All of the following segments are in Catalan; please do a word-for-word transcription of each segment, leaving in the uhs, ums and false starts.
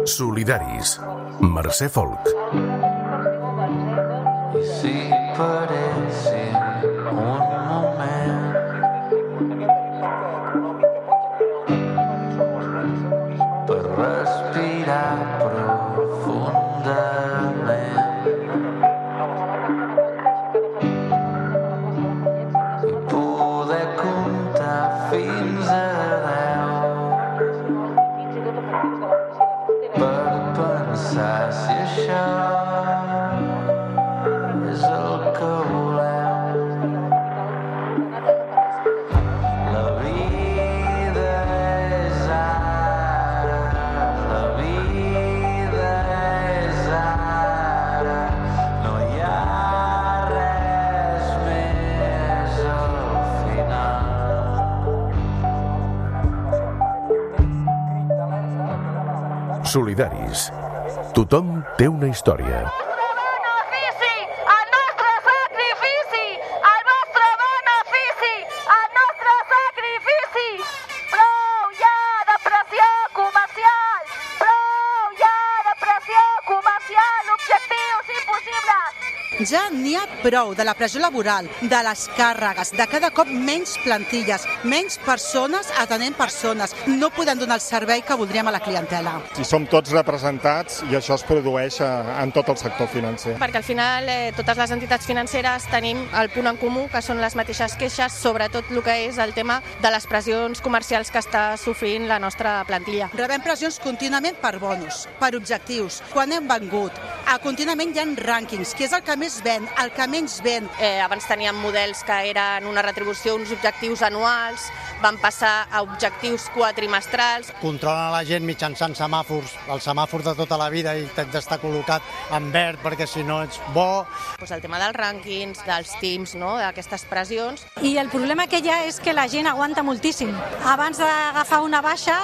Solidaris. Mercè Folk. Si parecen un moment per respirar profundament i poder comptar fins a deu per pensar si això és el que volem. La vida és ara, la vida és ara, no hi ha res més al final. Solidaris. Tothom té una història. Ja n'hi ha prou de la pressió laboral, de les càrregues, de cada cop menys plantilles, menys persones atenent persones. No podem donar el servei que voldríem a la clientela. Si som tots representats i això es produeix en tot el sector financer. Perquè al final eh, totes les entitats financeres tenim el punt en comú, que són les mateixes queixes, sobretot el que és el tema de les pressions comercials que està sofrint la nostra plantilla. Rebem pressions contínuament per bonus, per objectius, quan hem vengut. A contínuament hi ha rànquings, que és el que més ven, el que menys ven. Eh, abans teníem models que eren una retribució, uns objectius anuals, van passar a objectius quatrimestrals. Controlen la gent mitjançant semàfors, el semàfor de tota la vida, i t'has d'estar col·locat en verd perquè si no ets bo. Pues el tema dels rànquings, dels teams, no? D'aquestes pressions. I el problema que hi ha és que la gent aguanta moltíssim. Abans d'agafar una baixa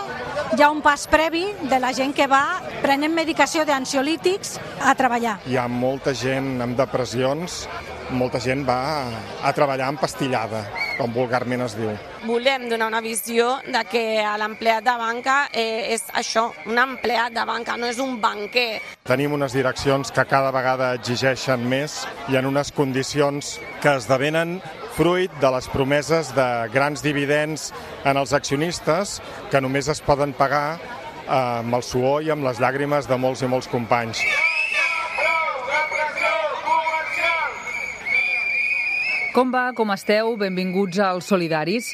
hi ha un pas previ de la gent que va prenent medicació d'ansiolítics a treballar. Hi ha molta gent amb depressions, molta gent va a treballar empastillada, com vulgarment es diu. Volem donar una visió de que l'empleat de banca eh, és això, un empleat de banca, no és un banquer. Tenim unes direccions que cada vegada exigeixen més i en unes condicions que esdevenen fruit de les promeses de grans dividends en els accionistes que només es poden pagar eh, amb el suor i amb les llàgrimes de molts i molts companys. Com va? Com esteu? Benvinguts als Solidaris.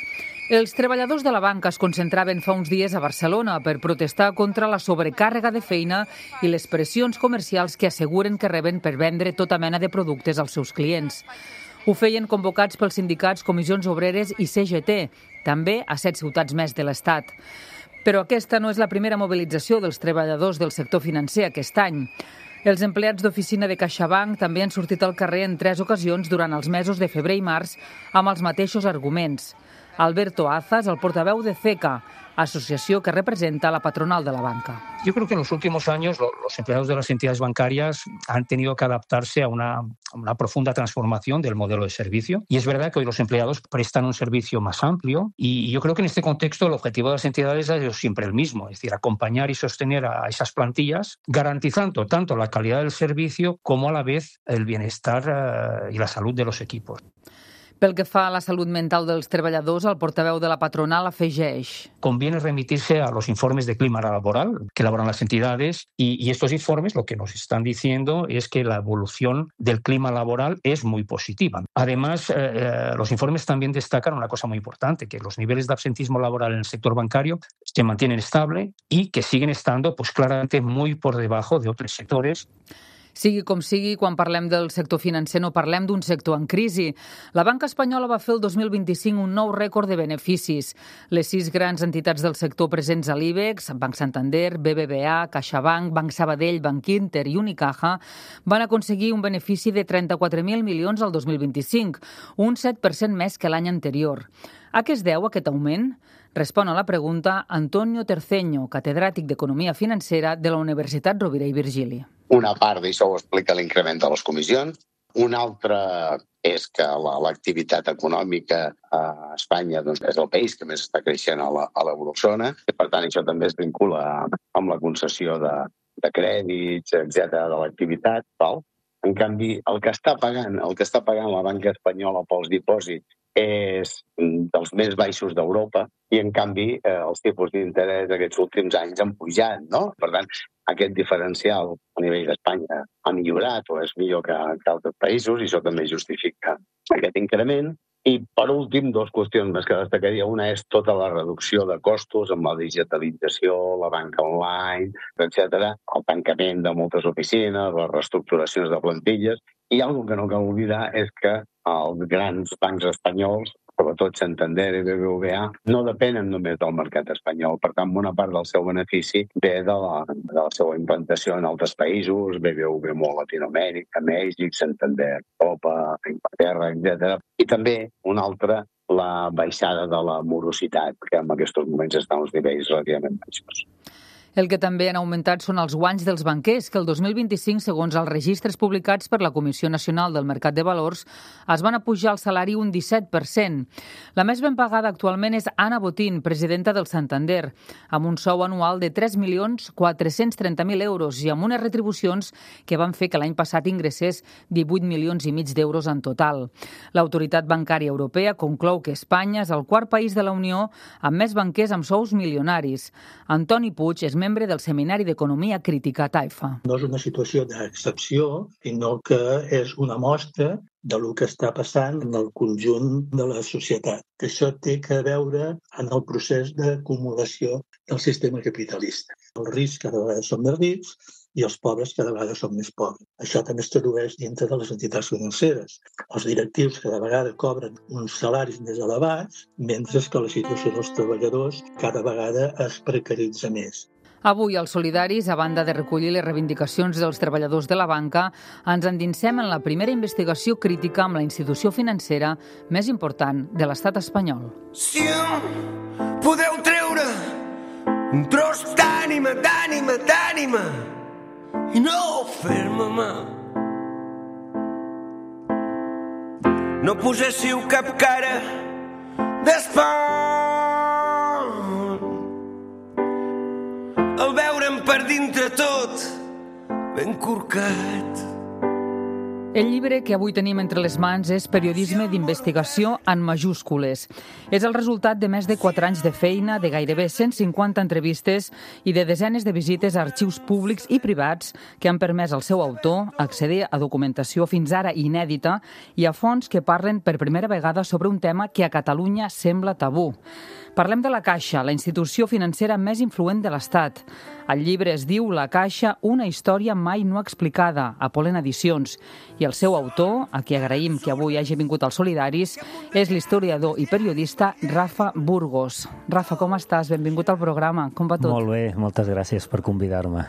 Els treballadors de la banca es concentraven fa uns dies a Barcelona per protestar contra la sobrecàrrega de feina i les pressions comercials que asseguren que reben per vendre tota mena de productes als seus clients. Ho feien convocats pels sindicats Comissions Obreres i C G T, també a set ciutats més de l'Estat. Però aquesta no és la primera mobilització dels treballadors del sector financer aquest any. Els empleats d'oficina de CaixaBank també han sortit al carrer en tres ocasions durant els mesos de febrer i març amb els mateixos arguments. Alberto Azas, el portaveu de CECA, asociación que representa a la patronal de la banca. Yo creo que en los últimos años los empleados de las entidades bancarias han tenido que adaptarse a una, a una profunda transformación del modelo de servicio. Y es verdad que hoy los empleados prestan un servicio más amplio y yo creo que en este contexto el objetivo de las entidades ha sido siempre el mismo, es decir, acompañar y sostener a esas plantillas, garantizando tanto la calidad del servicio como a la vez el bienestar y la salud de los equipos. Pel que fa a la salut mental dels treballadors, el portaveu de la patronal afegeix. Conviene remitirse a los informes de clima laboral que elaboran las entidades y, y estos informes lo que nos están diciendo es que la evolución del clima laboral es muy positiva. Además, eh, los informes también destacan una cosa muy importante, que los niveles de absentismo laboral en el sector bancario se mantienen estable y que siguen estando pues, claramente muy por debajo de otros sectores. Sigui com sigui, quan parlem del sector financer no parlem d'un sector en crisi. La banca espanyola va fer el dos mil vint-i-cinc un nou rècord de beneficis. Les sis grans entitats del sector presents a l'I B E X, Banc Santander, B B V A, CaixaBank, Banc Sabadell, Banc Inter i Unicaja, van aconseguir un benefici de trenta-quatre mil milions al dos mil vint-i-cinc, un set per cent més que l'any anterior. A què es deu aquest augment? Respon a la pregunta Antonio Terceño, catedràtic d'Economia Financera de la Universitat Rovira i Virgili. Una part d'això ho explica l'increment de les comissions, Un altre és que l'activitat econòmica a Espanya doncs, és el país que més està creixent a l'eurozona, i per tant això també es vincula amb la concessió de, de crèdits, etcètera, de l'activitat. Val? En canvi, el que està pagant, el que està pagant la banca espanyola pels dipòsits és dels més baixos d'Europa i, en canvi, eh, els tipus d'interès aquests últims anys han pujat, no? Per tant, aquest diferencial a nivell d'Espanya ha millorat o és millor que, que altres països i això també justifica aquest increment. I, per últim, dues qüestions més que destacaria. Una és tota la reducció de costos amb la digitalització, la banca online, etcètera, el tancament de moltes oficines, les reestructuracions de plantilles. I una cosa que no cal oblidar és que els grans bancs espanyols, sobretot Santander i B B V A, no depenen només del mercat espanyol. Per tant, bona part del seu benefici ve de la, de la seva implantació en altres països, B B V molt a Latinoamèrica, Mèxic, Santander, Europa, Inglaterra, etcètera. I també, una altra, la baixada de la morositat, que en aquests moments està a uns nivells relativament baixos. El que també han augmentat són els guanys dels banquers, que el dos mil vint-i-cinc, segons els registres publicats per la Comissió Nacional del Mercat de Valors, es van apujar el salari un disset per cent. La més ben pagada actualment és Ana Botín, presidenta del Santander, amb un sou anual de tres milions quatre-cents trenta mil euros i amb unes retribucions que van fer que l'any passat ingressés divuit milions i mig d'euros en total. L'Autoritat Bancària Europea conclou que Espanya és el quart país de la Unió amb més banquers amb sous milionaris. Antoni Puig és membre del Seminari d'Economia Crítica Taifa. No és una situació d'excepció, sinó que és una mostra de lo que està passant en el conjunt de la societat. Això té a veure en el procés d'acumulació del sistema capitalista. Els rics cada vegada són més rics i els pobres cada vegada són més pobres. Això també es tradueix dintre de les entitats financeres. Els directius cada vegada cobren uns salaris més elevats, mentre que la situació dels treballadors cada vegada es precaritza més. Avui, als Solidaris, a banda de recollir les reivindicacions dels treballadors de la banca, ens endinsem en la primera investigació crítica amb la institució financera més important de l'estat espanyol. Si em podeu treure un tros d'ànima, d'ànima, d'ànima i no fer-me mal. No poséssiu cap cara d'espant el veure'm per dintre tot ben corcat. El llibre que avui tenim entre les mans és Periodisme d'investigació en majúscules. És el resultat de més de quatre anys de feina, de gairebé cent cinquanta entrevistes i de desenes de visites a arxius públics i privats que han permès al seu autor accedir a documentació fins ara inèdita i a fonts que parlen per primera vegada sobre un tema que a Catalunya sembla tabú. Parlem de la Caixa, la institució financera més influent de l'Estat. El llibre es diu La Caixa, una història mai no explicada, a Polen Edicions. I el seu autor, a qui agraïm que avui hagi vingut als Solidaris, és l'historiador i periodista Rafa Burgos. Rafa, com estàs? Benvingut al programa. Com va tot? Molt bé, moltes gràcies per convidar-me.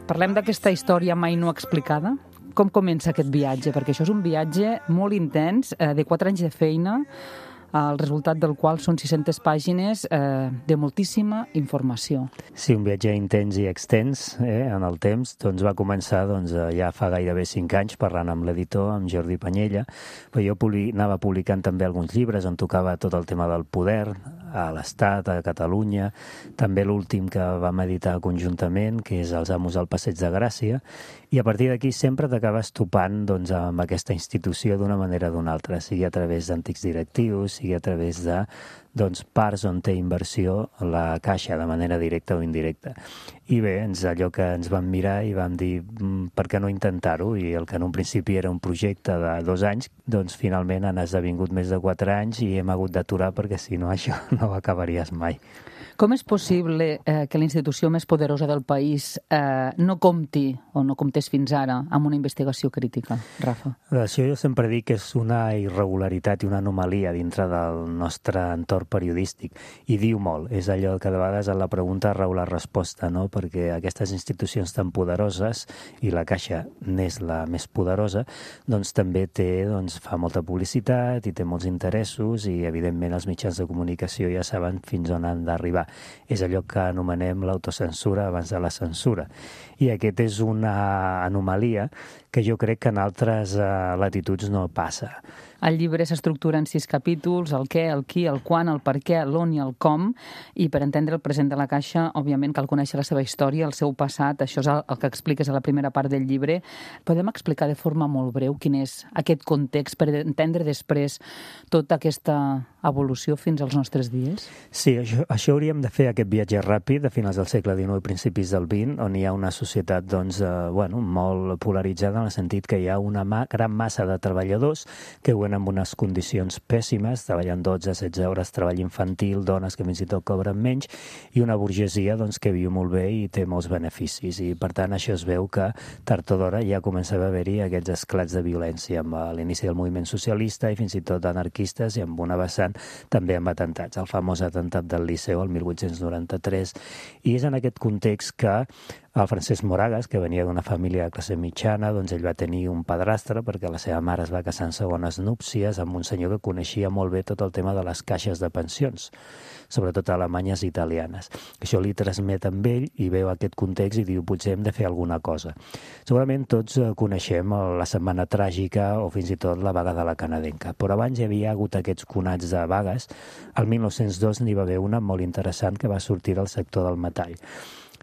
Parlem d'aquesta història mai no explicada? Com comença aquest viatge? Perquè això és un viatge molt intens, eh, de quatre anys de feina, el resultat del qual són sis-centes pàgines eh, de moltíssima informació. Sí, un viatge intens i extens eh, en el temps. Doncs va començar doncs, ja fa gairebé cinc anys parlant amb l'editor, amb Jordi Panyella, però jo publi anava publicant també alguns llibres on tocava tot el tema del poder a l'Estat, a Catalunya, també l'últim que vam editar conjuntament, que és Els amos al Passeig de Gràcia, i a partir d'aquí sempre t'acabes topant doncs, amb aquesta institució d'una manera o d'una altra, sigui a través d'antics directius, sigui a través de doncs, parts on té inversió la Caixa de manera directa o indirecta. I bé, ens, allò que ens vam mirar i vam dir per què no intentar-ho, i el que en un principi era un projecte de dos anys, doncs finalment han esdevingut més de quatre anys i hem hagut d'aturar perquè si no això no ho acabaries mai. Com és possible eh, que la institució més poderosa del país eh, no compti, o no comptés fins ara, amb una investigació crítica, Rafa? Això jo sempre dic que és una irregularitat i una anomalia dintre del nostre entorn periodístic, i diu molt. És allò que de vegades a la pregunta rau la resposta, no? Perquè aquestes institucions tan poderoses, i la Caixa n'és la més poderosa, doncs també té, doncs, fa molta publicitat i té molts interessos, i evidentment els mitjans de comunicació ja saben fins on han d'arribar. És allò que anomenem l'autocensura abans de la censura. I aquest és una anomalia que jo crec que en altres eh, latituds no passa. El llibre s'estructura en sis capítols, el què, el qui, el quan, el per què, l'on i el com, i per entendre el present de la Caixa, òbviament cal conèixer la seva història, el seu passat, això és el, el que expliques a la primera part del llibre. Podem explicar de forma molt breu quin és aquest context per entendre després tota aquesta evolució fins als nostres dies? Sí, això, això hauríem de fer, aquest viatge ràpid de finals del segle dinou i principis del vint, on hi ha una societat doncs, eh, bueno, molt polaritzada en el sentit que hi ha una ma gran massa de treballadors que viuen en unes condicions pèssimes, treballen dotze a setze hores, treball infantil, dones que fins i tot cobren menys, i una burgesia doncs, que viu molt bé i té molts beneficis. I per tant això es veu que tard o d'hora ja començava a haver-hi aquests esclats de violència amb l'inici del moviment socialista i fins i tot anarquistes, i amb una vessant també amb atemptats, el famós atemptat del Liceu el mil vuit-cents noranta-tres. I és en aquest context que el Francesc Moragas, que venia d'una família de classe mitjana, doncs ell va tenir un padrastre perquè la seva mare es va casar en segones núpcies amb un senyor que coneixia molt bé tot el tema de les caixes de pensions, sobretot alemanyes i italianes. Això li transmet amb ell i veu aquest context i diu, potser hem de fer alguna cosa. Segurament tots coneixem la Setmana Tràgica o fins i tot la vaga de la canadenca, però abans hi havia hagut aquests conats de vagues. El mil nou-cents dos n'hi va haver una molt interessant que va sortir del sector del metall.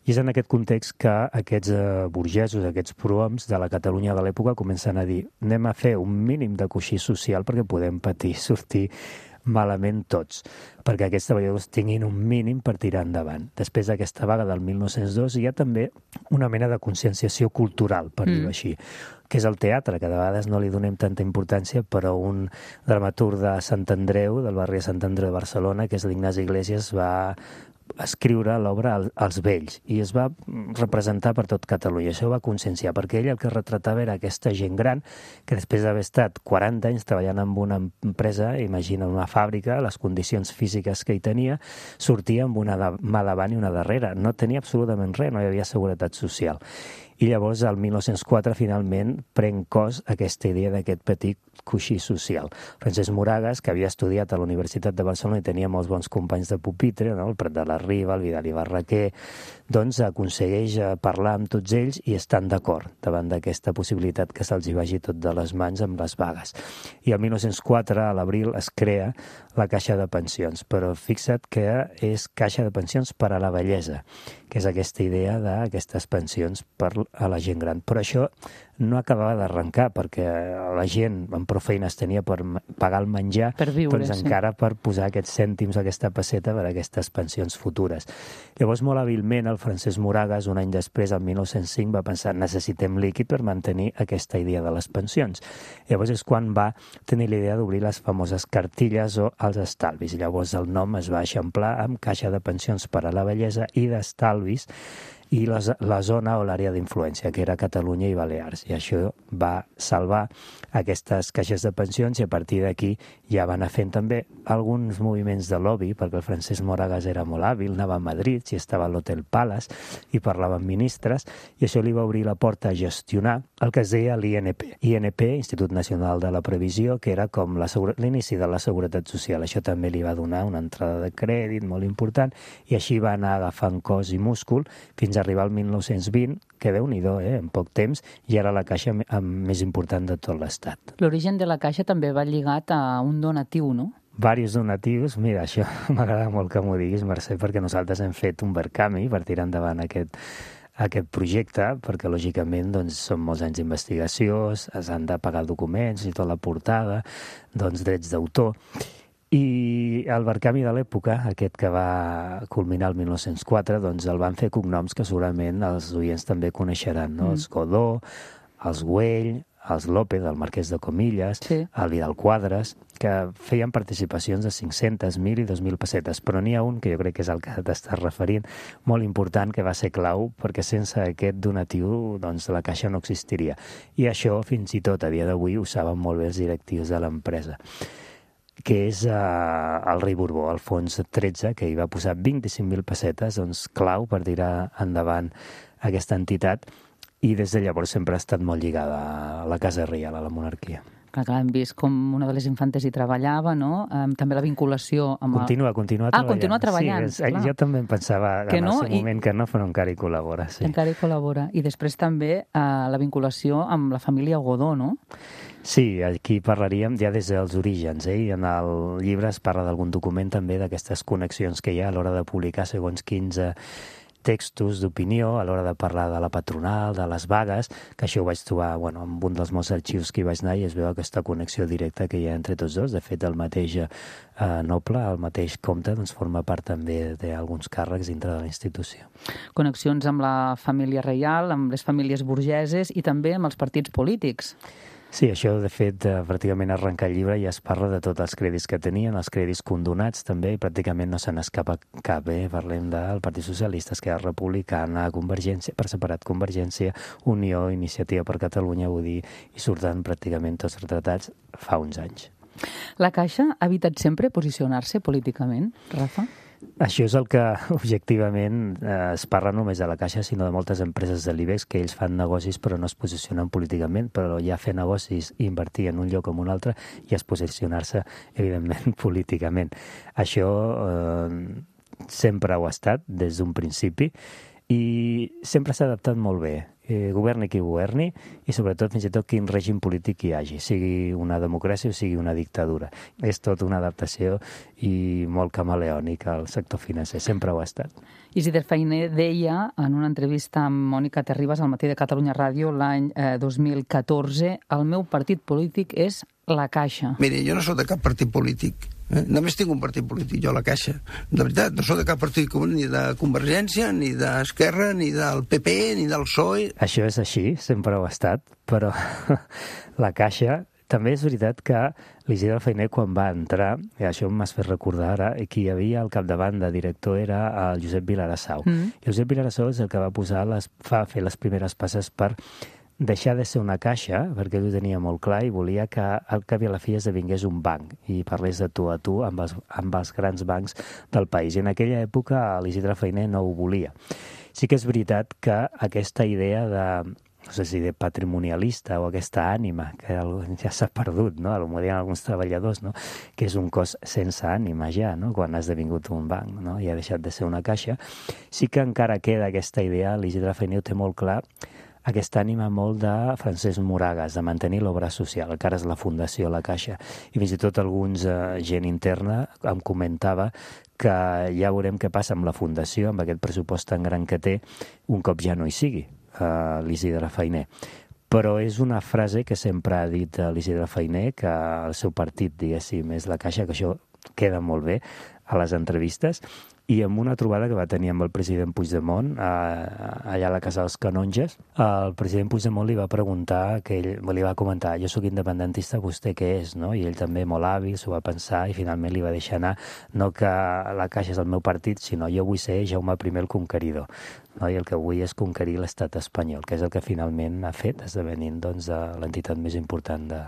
I és en aquest context que aquests eh, burgesos, aquests prohoms de la Catalunya de l'època comencen a dir anem a fer un mínim de coixí social perquè podem patir, sortir malament tots, perquè aquests treballadors tinguin un mínim per tirar endavant. Després d'aquesta vaga del mil nou-cents dos hi ha també una mena de conscienciació cultural, per mm. dir-ho així, que és el teatre, que de vegades no li donem tanta importància, però un dramaturg de Sant Andreu, del barri de Sant Andreu de Barcelona, que és l'Ignasi Iglesias, va escriure l'obra als vells i es va representar per tot Catalunya. Això va conscienciar, perquè ell el que retratava era aquesta gent gran que després d'haver estat quaranta anys treballant en una empresa, imagina una fàbrica, les condicions físiques que hi tenia, sortia amb una mà davant i una darrere. No tenia absolutament res, no hi havia seguretat social. I llavors, el mil nou-cents quatre, finalment, pren cos aquesta idea d'aquest petit coixí social. Francesc Moragas, que havia estudiat a la Universitat de Barcelona i tenia molts bons companys de pupitre, no? El Prat de la Riba, el Vidal i Barraquer, doncs aconsegueix parlar amb tots ells i estan d'acord davant d'aquesta possibilitat que se'ls hi vagi tot de les mans amb les vagues. I el mil nou-cents quatre, a l'abril, es crea la Caixa de Pensions, però fixa't que és Caixa de Pensions per a la Vellesa, que és aquesta idea d'aquestes pensions per a la gent gran. Però això no acabava d'arrencar, perquè la gent amb prou feines tenia per pagar el menjar, per viure, doncs sí. encara per posar aquests cèntims, aquesta pesseta per a aquestes pensions futures. Llavors, molt hàbilment, el Francesc Moragas, un any després, el mil nou-cents cinc, va pensar necessitem líquid per mantenir aquesta idea de les pensions. Llavors és quan va tenir l'idea d'obrir les famoses cartilles o els estalvis. Llavors el nom es va eixamplar amb Caixa de Pensions per a la Vellesa i d'Estalvis, i la, la zona o l'àrea d'influència, que era Catalunya i Balears. I això va salvar aquestes caixes de pensions i a partir d'aquí ja van anar fent també alguns moviments de lobby, perquè el Francesc Moragas era molt hàbil, anava a Madrid, si estava a l'Hotel Palace i parlava amb ministres, i això li va obrir la porta a gestionar el que es deia l'I N P. I N P, Institut Nacional de la Previsió, que era com l'inici de la Seguretat Social. Això també li va donar una entrada de crèdit molt important i així va anar agafant cos i múscul fins a arribar al mil nou-cents vint, que déu-n'hi-do, eh, en poc temps, i era la caixa més important de tot l'Estat. L'origen de la Caixa també va lligat a un donatiu, no? Varis donatius. Mira, això m'agrada molt que m'ho diguis, Mercè, perquè nosaltres hem fet un Verkami per tirar endavant aquest, aquest projecte, perquè lògicament doncs, són molts anys d'investigació, s'han de pagar documents i tota la portada, doncs drets d'autor. I el Verkami de l'època, aquest que va culminar el mil nou-cents quatre, doncs el van fer cognoms que segurament els oients també coneixeran, no? Mm. Els Godó, els Güell, els López, el Marquès de Comillas, sí. el Vidal Quadres, que feien participacions de cinc-centes, mil i dos mil pessetes, però n'hi ha un, que jo crec que és el que t'estàs referint, molt important, que va ser clau, perquè sense aquest donatiu doncs, la Caixa no existiria. I això, fins i tot a dia d'avui, ho saben molt bé els directius de l'empresa, que és eh, el rei Borbó, Alfons tretze, que hi va posar vint-i-cinc mil pessetes, doncs clau per tirar endavant aquesta entitat, i des de llavors sempre ha estat molt lligada a la Casa Reial, a la monarquia. Clar, clar, hem vist com una de les infantes hi treballava, no? Um, també la vinculació amb... Continua, continua ah, treballant. continua treballant, sí, és, jo també em pensava que en no, el seu i... moment que no, però encara hi col·labora. Sí. Encara hi col·labora. I després també uh, la vinculació amb la família Godó, no? Sí, aquí parlaríem ja des dels orígens, eh? I en el llibre es parla d'algun document també d'aquestes connexions que hi ha a l'hora de publicar segons quinze textos d'opinió, a l'hora de parlar de la patronal, de les vagues, que això ho vaig trobar bueno, en un dels molts arxius que hi vaig anar i es veu aquesta connexió directa que hi ha entre tots dos. De fet, el mateix eh, noble, el mateix comte, doncs, forma part també d'alguns càrrecs dintre de la institució. Connexions amb la família reial, amb les famílies burgeses i també amb els partits polítics. Sí, això, de fet, eh, pràcticament arrencar el llibre ja es parla de tots els crèdits que tenien, els crèdits condonats també, i pràcticament no se n'escapa cap. Eh? Parlem del Partit Socialista, Esquerra Republicana, Convergència, per separat Convergència, Unió, Iniciativa per Catalunya, vull dir, i surten pràcticament tots retratats fa uns anys. La Caixa ha evitat sempre posicionar-se políticament, Rafa? Això és el que objectivament eh, es parla només de la Caixa, sinó de moltes empreses de l'IBEX, que ells fan negocis però no es posicionen políticament, però ja fer negocis i invertir en un lloc o en un altre i es posicionar-se, evidentment, políticament. Això eh, sempre ho ha estat des d'un principi i sempre s'ha adaptat molt bé. Eh, governi qui governi i sobretot fins i tot quin règim polític hi hagi, sigui una democràcia o sigui una dictadura. És tot una adaptació i molt camaleònic al sector financer, sempre ho ha estat. Isidre Fainé deia en una entrevista amb Mònica Terribas al Matí de Catalunya Ràdio l'any eh, dos mil catorze: el meu partit polític és la Caixa. Mire, jo no soc de cap partit polític. Eh? Només tinc un partit polític, jo, la Caixa. De veritat, no soc de cap partit ni de Convergència, ni d'Esquerra, ni del P P, ni del P S O E. Això és així, sempre ho ha estat, però la Caixa... També és veritat que l'Isidre Fainé, quan va entrar, i això m'has fet recordar ara, qui hi havia al capdavant de director era el Josep Vilarassau. Mm. I Josep Vilarassau és el que va posar les, fa fer les primeres passes per deixar de ser una caixa, perquè ell ho tenia molt clar i volia que al cap i a la fi esdevingués un banc i parlés de tu a tu amb els, amb els grans bancs del país. I en aquella època l'Isidre Fainé no ho volia. Sí que és veritat que aquesta idea de no sé si de patrimonialista o aquesta ànima que ja s'ha perdut, no? Ho diuen alguns treballadors, no? Que és un cos sense ànima ja, no? Quan ha esdevingut un banc, no? I ha deixat de ser una caixa. Sí que encara queda aquesta idea, l'Isidre Fainé ho té molt clar, aquesta ànima molt de Francesc Moragas, de mantenir l'obra social, que ara és la Fundació La Caixa. I fins i tot alguns eh, gent interna em comentava que ja veurem què passa amb la Fundació, amb aquest pressupost tan gran que té, un cop ja no hi sigui Uh, l'Isidre Fainé. Però és una frase que sempre ha dit l'Isidre Fainé, que el seu partit, diguéssim, és la Caixa, que això queda molt bé a les entrevistes, i amb una trobada que va tenir amb el president Puigdemont eh, allà a la Casa dels Canonges, el president Puigdemont li va preguntar, que ell li va comentar, jo sóc independentista, vostè què és? No? I ell també molt hàbil s'ho va pensar i finalment li va deixar anar, no que la Caixa és el meu partit, sinó jo vull ser Jaume primer el conqueridor. No? I el que vull és conquerir l'estat espanyol, que és el que finalment ha fet, esdevenint doncs, l'entitat més important de,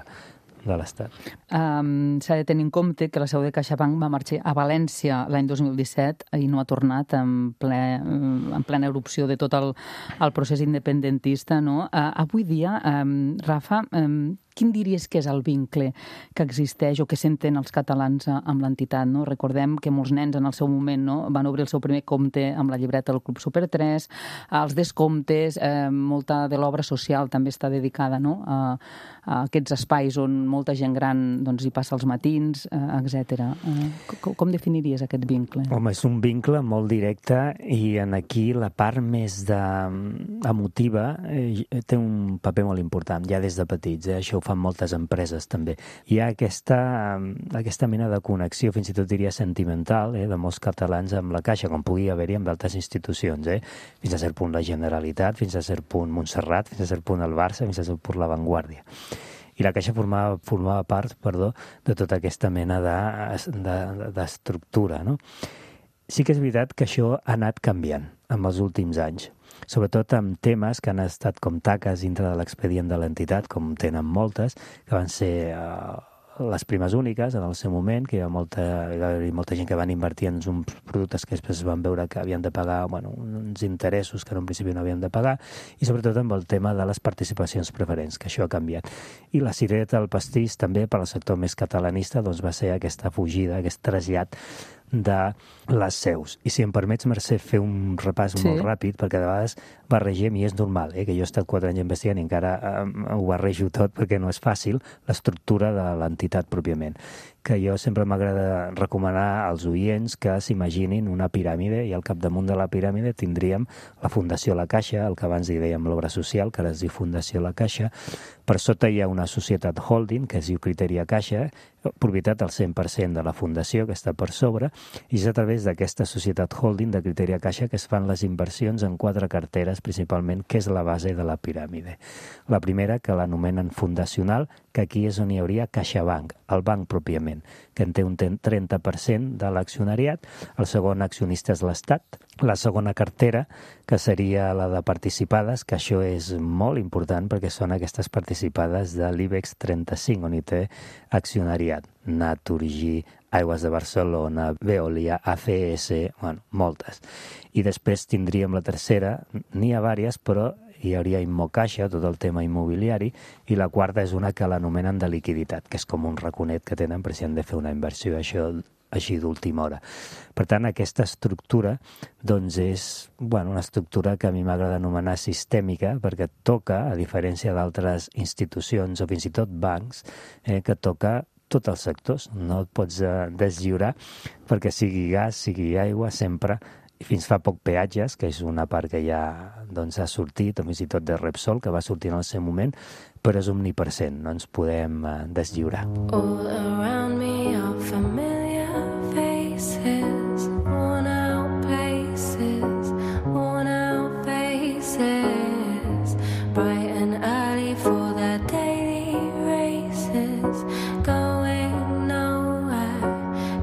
de l'Estat. Um, S'ha de tenir en compte que la seu de CaixaBank va marxar a València l'any dos mil disset i no ha tornat en, ple, en plena erupció de tot el, el procés independentista. No? Uh, avui dia, um, Rafa, um, quin diries que és el vincle que existeix o que senten els catalans amb l'entitat? No? Recordem que molts nens en el seu moment no, van obrir el seu primer compte amb la llibreta del Club Super tres, els descomptes, eh, molta de l'obra social també està dedicada no, a, a aquests espais on molta gent gran doncs, hi passa els matins, eh, etcètera. Eh, com, com definiries aquest vincle? Home, és un vincle molt directe i en aquí la part més de, emotiva eh, té un paper molt important, ja des de petits. Eh? Això ho fan moltes empreses també. Hi ha aquesta, aquesta mena de connexió, fins i tot diria sentimental, eh, de molts catalans amb la Caixa, com pugui haver-hi amb d'altres institucions. Eh? Fins a cert punt la Generalitat, fins a cert punt Montserrat, fins a cert punt el Barça, fins a cert punt la Vanguardia. I la Caixa formava, formava part perdó, de tota aquesta mena d'estructura. De, de, no? Sí que és veritat que això ha anat canviant en els últims anys, sobretot amb temes que han estat com taques dintre de l'expedient de l'entitat, com tenen moltes, que van ser eh, les primes úniques en el seu moment, que hi ha molta, hi va haver molta gent que van invertir en uns productes que després van veure que havien de pagar bueno, uns interessos que en un principi no havien de pagar, i sobretot amb el tema de les participacions preferents, que això ha canviat. I la cirereta del pastís també per al sector més catalanista doncs, va ser aquesta fugida, aquest trasllat de les seus. I si em permets, Mercè, fer un repàs sí. molt ràpid, perquè de vegades barregem, i és normal, eh, que jo he estat quatre anys investigant i encara eh, ho barrejo tot perquè no és fàcil, l'estructura de l'entitat pròpiament. Que jo sempre m'agrada recomanar als oients que s'imaginin una piràmide i al capdamunt de la piràmide tindríem la Fundació La Caixa, el que abans hi dèiem l'obra social, que ara es diu Fundació La Caixa. Per sota hi ha una societat holding, que es diu Criteria Caixa, propietat al cent per cent de la fundació, que està per sobre, i és a través d'aquesta societat holding de Criteria Caixa que es fan les inversions en quatre carteres, principalment, que és la base de la piràmide. La primera, que l'anomenen fundacional, que aquí és on hi hauria CaixaBank, el banc pròpiament, que en té un trenta per cent de l'accionariat. El segon accionista és l'Estat. La segona cartera, que seria la de participades, que això és molt important perquè són aquestes participades de l'IBEX trenta-cinc, on hi té accionariat. Naturgy, Aigües de Barcelona, Veolia, A C S, bueno, moltes. I després tindríem la tercera, n'hi ha vàries, però hi hauria Immocaixa, tot el tema immobiliari, i la quarta és una que l'anomenen de liquiditat, que és com un raconet que tenen per si han de fer una inversió, això així d'última hora. Per tant, aquesta estructura doncs és bueno, una estructura que a mi m'agrada anomenar sistèmica, perquè toca, a diferència d'altres institucions o fins i tot bancs, eh, que toca tots els sectors. No et pots eh, deslliurar perquè sigui gas, sigui aigua, sempre, i fins fa poc peatges, que és una part que ja doncs, ha sortit, o fins i tot de Repsol, que va sortir en el seu moment, però és omnipresent, no ens podem eh, deslliurar. All around me are familiar faces, worn out places, worn out faces, bright and early for their daily races, going nowhere,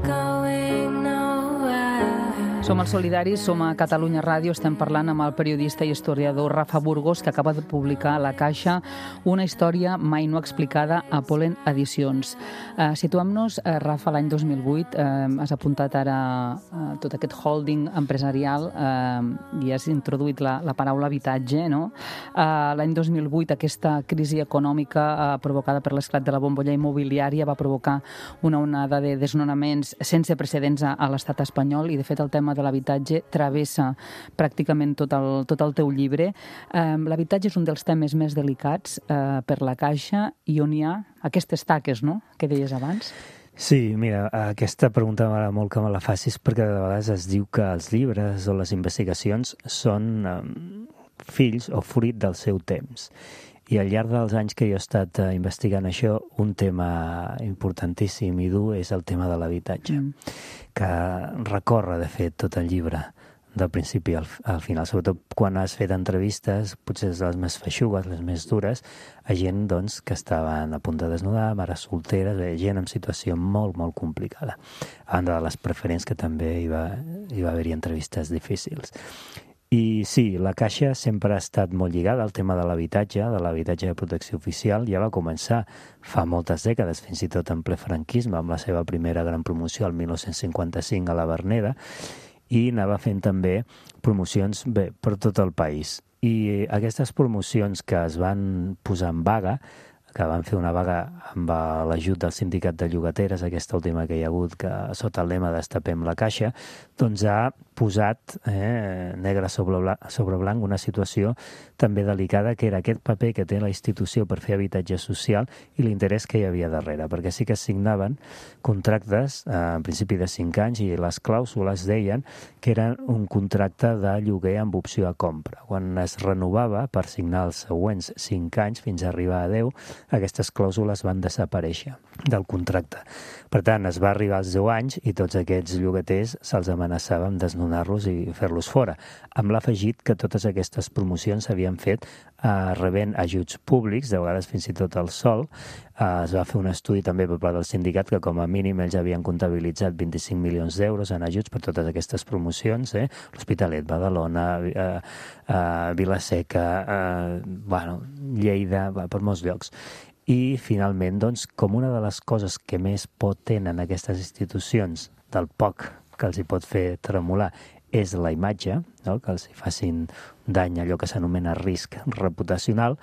going nowhere. Som els Solidaris, som a Catalunya Ràdio, estem parlant amb el periodista i historiador Rafa Burgos, que acaba de publicar a La Caixa una història mai no explicada a Polen Edicions. Uh, Situem-nos, uh, Rafa, l'any dos mil vuit, uh, has apuntat ara uh, tot aquest holding empresarial uh, i has introduït la, la paraula habitatge, no? Uh, l'any dos mil vuit aquesta crisi econòmica uh, provocada per l'esclat de la bombolla immobiliària va provocar una onada de desnonaments sense precedents a, a l'estat espanyol, i de fet el tema de l'habitatge travessa pràcticament tot el, tot el teu llibre. Um, l'habitatge és un dels temes més delicats uh, per la Caixa i on hi ha aquestes taques, no?, que deies abans. Sí, mira, aquesta pregunta m'agrada molt que me la facis perquè de vegades es diu que els llibres o les investigacions són um, fills o fruit del seu temps. I al llarg dels anys que jo he estat uh, investigant això, un tema importantíssim i dur és el tema de l'habitatge, mm. que recorre, de fet, tot el llibre, del principi al, al final. Sobretot quan has fet entrevistes, potser les més feixugues, les més dures, a gent doncs, que estaven a punt de desnudar, mares solteres, gent en situació molt, molt complicada. A banda de les preferents, que també hi va, hi va haver-hi entrevistes difícils. I sí, la Caixa sempre ha estat molt lligada al tema de l'habitatge, de l'habitatge de protecció oficial. Ja va començar fa moltes dècades, fins i tot en ple franquisme, amb la seva primera gran promoció el dinou cinquanta-cinc a la Verneda, i anava fent també promocions bé, per tot el país. I aquestes promocions que es van posar en vaga, que van fer una vaga amb l'ajut del sindicat de llogateres, aquesta última que hi ha hagut, que sota el lema Destapem la Caixa, doncs ha posat eh, negre sobre blanc, sobre blanc una situació també delicada, que era aquest paper que té la institució per fer habitatge social i l'interès que hi havia darrere, perquè sí que es signaven contractes, eh, en principi de cinc anys, i les clàusules deien que eren un contracte de lloguer amb opció a compra. Quan es renovava per signar els següents cinc anys fins a arribar a deu, aquestes clàusules van desaparèixer del contracte. Per tant, es va arribar als deu anys i tots aquests llogaters se'ls amenaçava amb desnonar-los i fer-los fora, amb l'afegit que totes aquestes promocions s'havien fet eh, rebent ajuts públics, de vegades fins i tot el sol. Eh, es va fer un estudi també per part del sindicat que com a mínim ells havien comptabilitzat vint-i-cinc milions d'euros en ajuts per totes aquestes promocions, eh? l'Hospitalet, Badalona, eh, eh, Vila-seca, eh, bueno, Lleida, va, per molts llocs. i finalment, doncs, com una de les coses que més por tenen aquestes institucions, del poc que els hi pot fer tremolar, és la imatge, no? Que els hi facin dany, allò que s'anomena risc reputacional,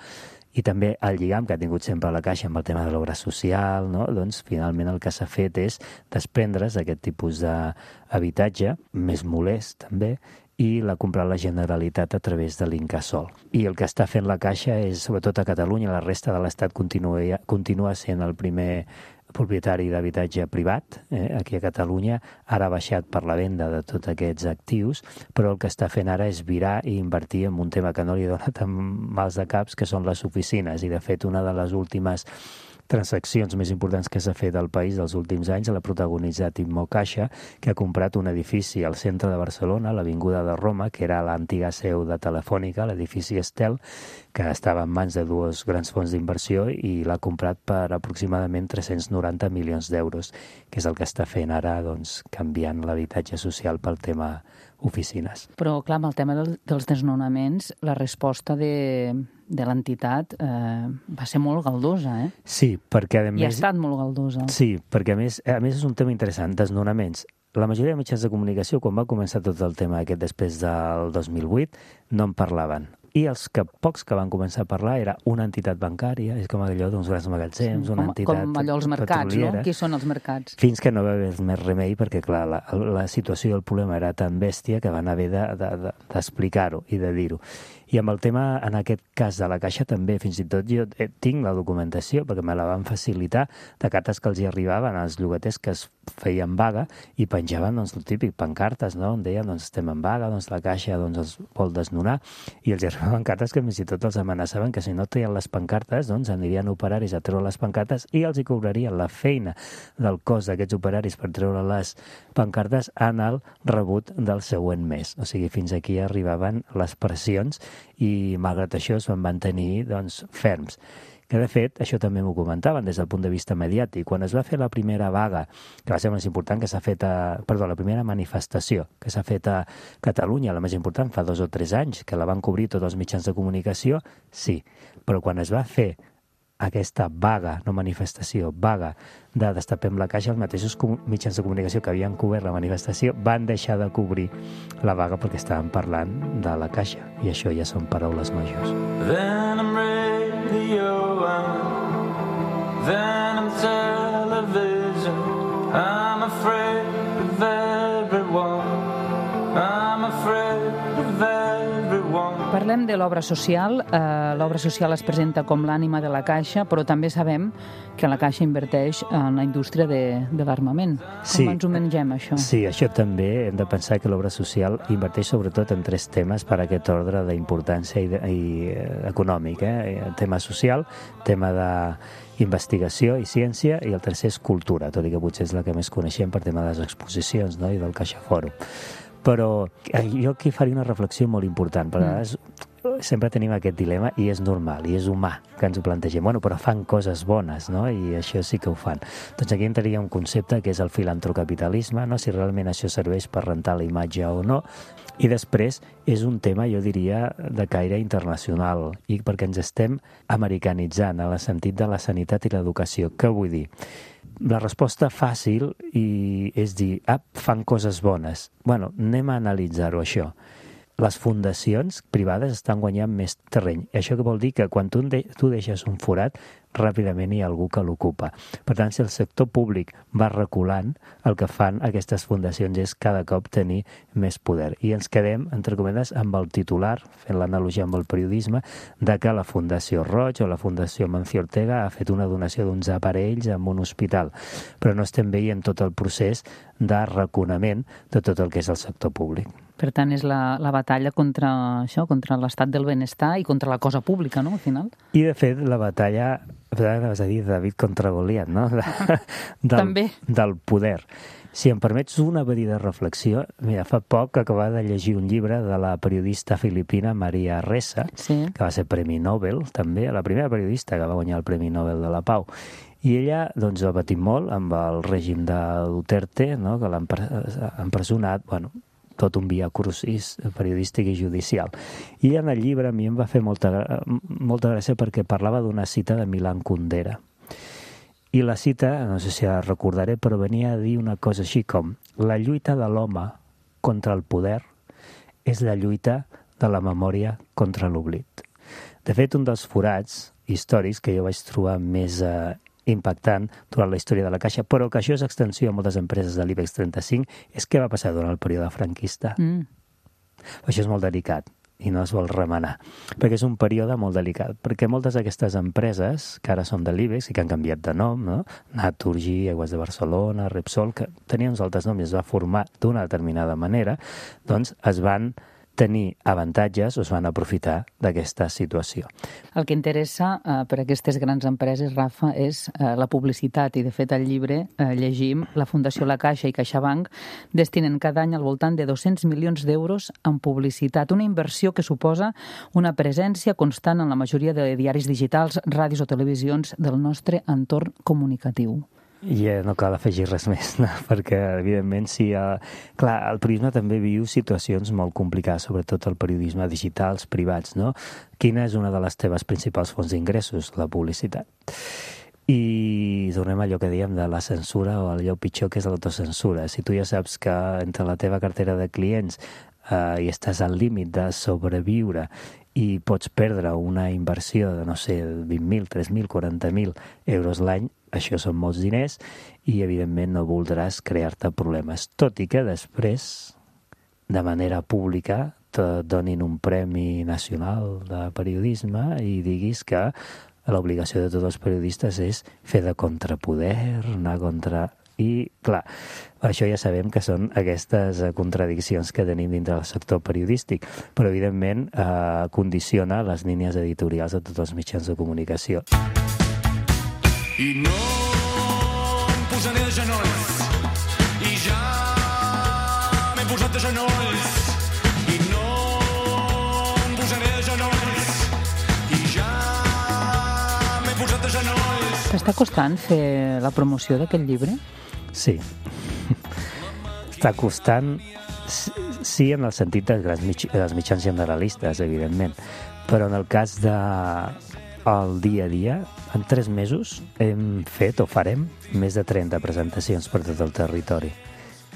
i també el lligam que ha tingut sempre la Caixa amb el tema de l'obra social, no? Doncs finalment el que s'ha fet és desprendre's d'aquest tipus d'habitatge, més molest també, i l'ha comprat la Generalitat a través de l'Incasòl. I el que està fent la Caixa és, sobretot a Catalunya, la resta de l'Estat continua, continua sent el primer propietari d'habitatge privat, eh, aquí a Catalunya, ara ha baixat per la venda de tots aquests actius, però el que està fent ara és virar i invertir en un tema que no li dona tan mals de caps, que són les oficines, i de fet una de les últimes transaccions més importants que s'ha fet al país dels últims anys l'ha protagonitzat Immocaixa, que ha comprat un edifici al centre de Barcelona, a l'Avinguda de Roma, que era l'antiga seu de Telefònica, l'edifici Estel, que estava en mans de dues grans fons d'inversió i l'ha comprat per aproximadament tres-cents noranta milions d'euros, que és el que està fent ara, doncs, canviant l'habitatge social pel tema oficines. Però, clar, amb el tema del, dels desnonaments, la resposta de, de l'entitat eh, va ser molt galdosa, eh? Sí, perquè a més... I ha estat molt galdosa. Sí, perquè a més, a més és un tema interessant, desnonaments. La majoria de mitjans de comunicació, quan va començar tot el tema aquest després del dos mil vuit, no en parlaven. I els que, pocs que van començar a parlar era una entitat bancària, és com allò d'uns grans magatzems, una com, entitat com allò els mercats, petroliera. No? Qui són els mercats? Fins que no va haver més remei, perquè clar, la, la situació i el problema era tan bèstia que van haver d'explicar-ho de, de, i de dir-ho. I amb el tema, en aquest cas de la Caixa, també, fins i tot jo tinc la documentació, perquè me la van facilitar, de cartes que els hi arribaven als llogaters que es feien vaga i penjaven, doncs, el típic, pancartes, no?, on deien, doncs, estem en vaga, doncs, la Caixa, doncs, els vol desnonar, i els hi arribaven cartes que fins i tot els amenaçaven que si no treien les pancartes, doncs, anirien operaris a treure les pancartes i els hi cobrarien la feina del cos d'aquests operaris per treure les pancartes en el rebut del següent mes. O sigui, fins aquí arribaven les pressions i, malgrat això, es van mantenir, doncs, ferms. Que, de fet, això també m'ho comentaven des del punt de vista mediàtic. Quan es va fer la primera vaga, que va ser més important, que s'ha fet a... Perdó, la primera manifestació que s'ha fet a Catalunya, la més important, fa dos o tres anys, que la van cobrir tots els mitjans de comunicació, sí. Però quan es va fer aquesta vaga, no manifestació, vaga de Destapem la Caixa, els mateixos mitjans de comunicació que havien cobert la manifestació van deixar de cobrir la vaga perquè estaven parlant de la Caixa, i això ja són paraules majors. Then I'm radio, then I'm television, I'm afraid of everyone, I'm afraid of everyone. Parlem de l'obra social. Eh, l'obra social es presenta com l'ànima de la Caixa, però també sabem que la Caixa inverteix en la indústria de, de l'armament. Com Sí. ens ho mengem, això? Sí, això també hem de pensar que l'obra social inverteix sobretot en tres temes per a aquest ordre d'importància i, de, i eh, econòmic. Eh? Tema social, tema d'investigació i ciència, i el tercer és cultura, tot i que potser és la que més coneixem per tema de les exposicions, no?, i del Caixa Fòrum. Però jo aquí faria una reflexió molt important, perquè a vegades sempre tenim aquest dilema, i és normal, i és humà que ens ho plantegem. Bueno, però fan coses bones, no?, i això sí que ho fan. Doncs aquí entraria un concepte que és el filantrocapitalisme, no?, si realment això serveix per rentar la imatge o no. I després és un tema, jo diria, de caire internacional, i perquè ens estem americanitzant en el sentit de la sanitat i l'educació. Què vull dir? La resposta fàcil i és dir, ah, fan coses bones. Bueno, anem a analitzar-ho, això. Les fundacions privades estan guanyant més terreny. Això que vol dir que quan tu, de, tu deixes un forat, ràpidament hi ha algú que l'ocupa. Per tant, si el sector públic va reculant, el que fan aquestes fundacions és cada cop tenir més poder. I ens quedem, entre cometes, amb el titular, fent l'analogia amb el periodisme, de que la Fundació Roig o la Fundació Mancio Ortega ha fet una donació d'uns aparells en un hospital. Però no estem veient tot el procés de raconament de tot el que és el sector públic. Per tant, és la, la batalla contra això, contra l'estat del benestar i contra la cosa pública, no?, al final. I, de fet, la batalla, vas a dir, David contra Goliat, no?, de, del, També. del poder. Si em permets una petita reflexió, mira, fa poc acabava de llegir un llibre de la periodista filipina Maria Ressa, sí. que va ser Premi Nobel, també, la primera periodista que va guanyar el Premi Nobel de la Pau. I ella, doncs, ha patit molt amb el règim de Duterte, no?, que l'ha empresonat, bueno, tot un via crucis periodístic i judicial. I en el llibre a mi em va fer molta, molta gràcia perquè parlava d'una cita de Milan Kundera. I la cita, no sé si la recordaré, però venia a dir una cosa així com: la lluita de l'home contra el poder és la lluita de la memòria contra l'oblit. De fet, un dels forats històrics que jo vaig trobar més eh, impactant durant la història de la Caixa, però que això és extensió a moltes empreses de l'IBEX trenta-cinc, és què va passar durant el període franquista. Mm. Això és molt delicat i no es vol remenar, perquè és un període molt delicat, perquè moltes d'aquestes empreses que ara són de l'IBEX i que han canviat de nom, no? Naturgy, Aigües de Barcelona, Repsol, que tenien uns altres noms i es va formar d'una determinada manera, doncs es van tenir avantatges o es van aprofitar d'aquesta situació. El que interessa eh, per a aquestes grans empreses, Rafa, és eh, la publicitat, i de fet al llibre eh, llegim la Fundació La Caixa i CaixaBank destinen cada any al voltant de dos-cents milions d'euros en publicitat, una inversió que suposa una presència constant en la majoria de diaris digitals, ràdios o televisions del nostre entorn comunicatiu. I eh, no cal afegir res més, no? Perquè, evidentment, sí, eh, clar, el periodisme també viu situacions molt complicades, sobretot el periodisme digitals, privats, no? Quina és una de les teves principals fonts d'ingressos? La publicitat. I tornem a allò que dèiem de la censura o allò pitjor que és l'autocensura. Si tu ja saps que entre la teva cartera de clients eh, i estàs al límit de sobreviure i pots perdre una inversió de, no sé, vint mil, tres mil, quaranta mil euros l'any, això són molts diners i, evidentment, no voldràs crear-te problemes. Tot i que després, de manera pública, te donin un premi nacional de periodisme i diguis que l'obligació de tots els periodistes és fer de contrapoder, anar contra... I, clar, això ja sabem que són aquestes contradiccions que tenim dintre del sector periodístic, però, evidentment, eh, condiciona les línies editorials de tots els mitjans de comunicació. I no em posaré de genolls, i ja m'he posat de genolls, i no em posaré de genolls, i ja m'he posat de genolls. T'està costant fer la promoció d'aquest llibre? Sí. Està costant, sí, en el sentit dels, grans mig, dels mitjans generalistes, evidentment, però en el cas de el dia a dia, en tres mesos hem fet o farem més de trenta presentacions per tot el territori.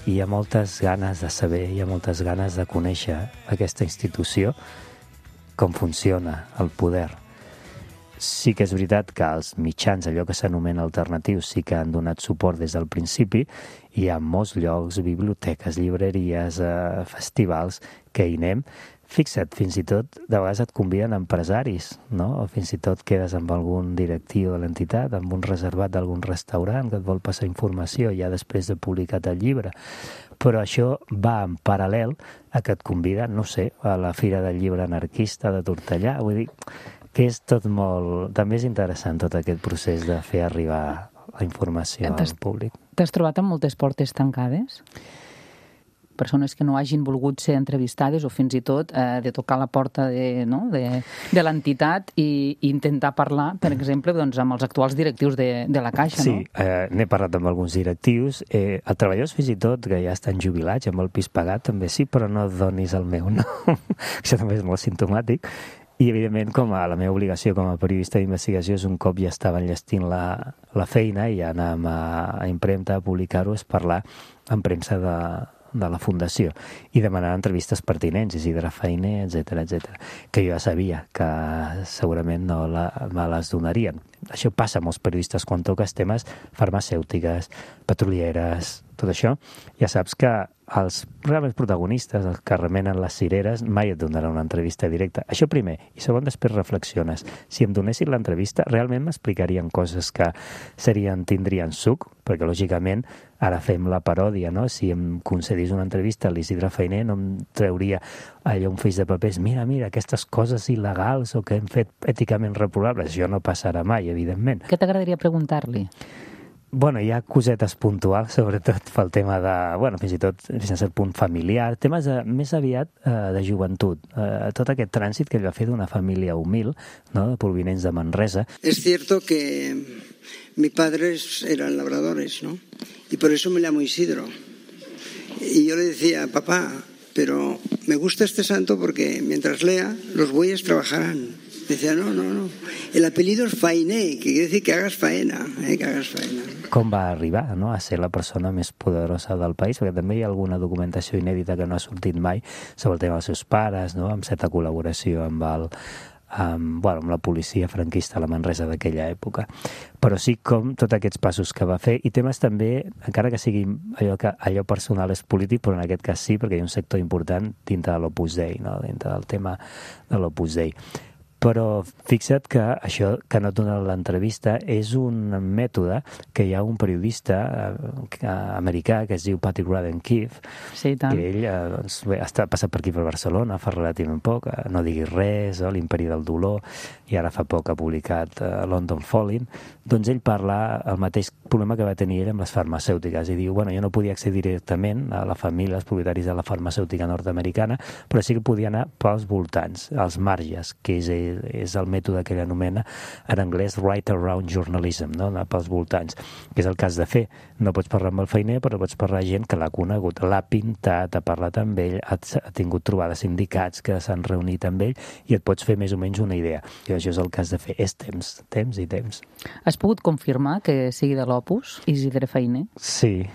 I hi ha moltes ganes de saber, hi ha moltes ganes de conèixer aquesta institució, com funciona el poder. Sí que és veritat que els mitjans, allò que s'anomena alternatius, sí que han donat suport des del principi. Hi ha molts llocs, biblioteques, llibreries, eh, festivals, que hi anem. Fixa't, fins i tot, de vegades et conviden empresaris, no? O fins i tot quedes amb algun directiu de l'entitat, amb un reservat d'algun restaurant que et vol passar informació ja després de publicat el llibre. Però això va en paral·lel a que et conviden, no sé, a la Fira del Llibre Anarquista de Tortellà. Vull dir que és tot molt... També és interessant tot aquest procés de fer arribar la informació al públic. T'has trobat amb moltes portes tancades? Persones que no hagin volgut ser entrevistades o fins i tot eh, de tocar la porta de, no? de, de l'entitat i, i intentar parlar, per exemple, doncs, amb els actuals directius de, de la Caixa, sí, no? Sí, eh, n'he parlat amb alguns directius. Eh, els treballadors fins i tot que ja estan jubilats amb el pis pagat també sí, però no donis el meu nom. Això també és molt simptomàtic. I, evidentment, com a la meva obligació com a periodista d'investigació és un cop ja estava enllestint la, la feina i ja anàvem a, a impremta a publicar-ho, és parlar en premsa de, de la Fundació i demanar entrevistes pertinents, Isidre Fainé, etcètera, etcètera, que jo ja sabia que segurament no la, me les donarien. Això passa a molts periodistes quan toques temes farmacèutiques, petrolieres, tot això. Ja saps que els realment protagonistes, els que remenen les cireres, mai et donaran una entrevista directa. Això primer. I segon, després reflexiones. Si em donessin l'entrevista, realment m'explicarien coses que serien, tindrien suc, perquè lògicament ara fem la paròdia, no? Si em concedís una entrevista a l'Isidre Fainé, no em trauria allò un feix de papers, mira, mira, aquestes coses il·legals o que hem fet èticament reprovables. Això no passarà mai, evidentment. Què t'agradaria preguntar-li? Bueno, hi ha cosetes puntuals, sobretot pel tema de, bueno, fins i tot fins a cert punt familiar, temes de, més aviat eh, de joventut. Eh, tot aquest trànsit que ell va fer d'una família humil, no?, de provinents de Manresa. Es cierto que mis padres eran labradores, ¿no? Y por eso me llamo Isidro. Y yo le decía, papá, pero me gusta este santo porque mientras lea, los bueyes trabajarán. Decía, no, no, no. El apellido es Fainé, que quiere decir que hagas faena, eh, que hagas faena. Com va arribar, no?, a ser la persona més poderosa del país, perquè també hi ha alguna documentació inèdita que no ha sortit mai sobre el tema dels seus pares, no?, amb certa col·laboració amb el amb, bueno, amb la policia franquista a la Manresa d'aquella època. Però sí com tots aquests passos que va fer, i temes també, encara que sigui allò, que, allò personal és polític, però en aquest cas sí, perquè hi ha un sector important dintre de l'Opus Dei, no?, dintre del tema de l'Opus Dei. Però fixa't que això que no et dona l'entrevista és un mètode que hi ha un periodista americà que es diu Patrick Radden Keefe, sí, tant. I ell doncs, bé, està passat per aquí per Barcelona fa relativament poc, No diguis res, oh, l'Imperi del dolor, i ara fa poc ha publicat uh, London Falling. Doncs ell parla el mateix problema que va tenir ell amb les farmacèutiques i diu, bueno, jo no podia accedir directament a la família, als propietaris de la farmacèutica nord-americana, però sí que podia anar pels voltants, als marges, que és, és el mètode que ell anomena en anglès right around journalism, no?, anar pels voltants, que és el cas de fer. No pots parlar amb el feiner, però pots parlar amb gent que l'ha conegut, l'ha pintat, ha parlat amb ell, ha, ha tingut trobades sindicats que s'han reunit amb ell i et pots fer més o menys una idea. I això és el cas de fer. És temps, temps i temps. Has pogut confirmar que sigui de l'Opus, Isidre Fainé? Sí.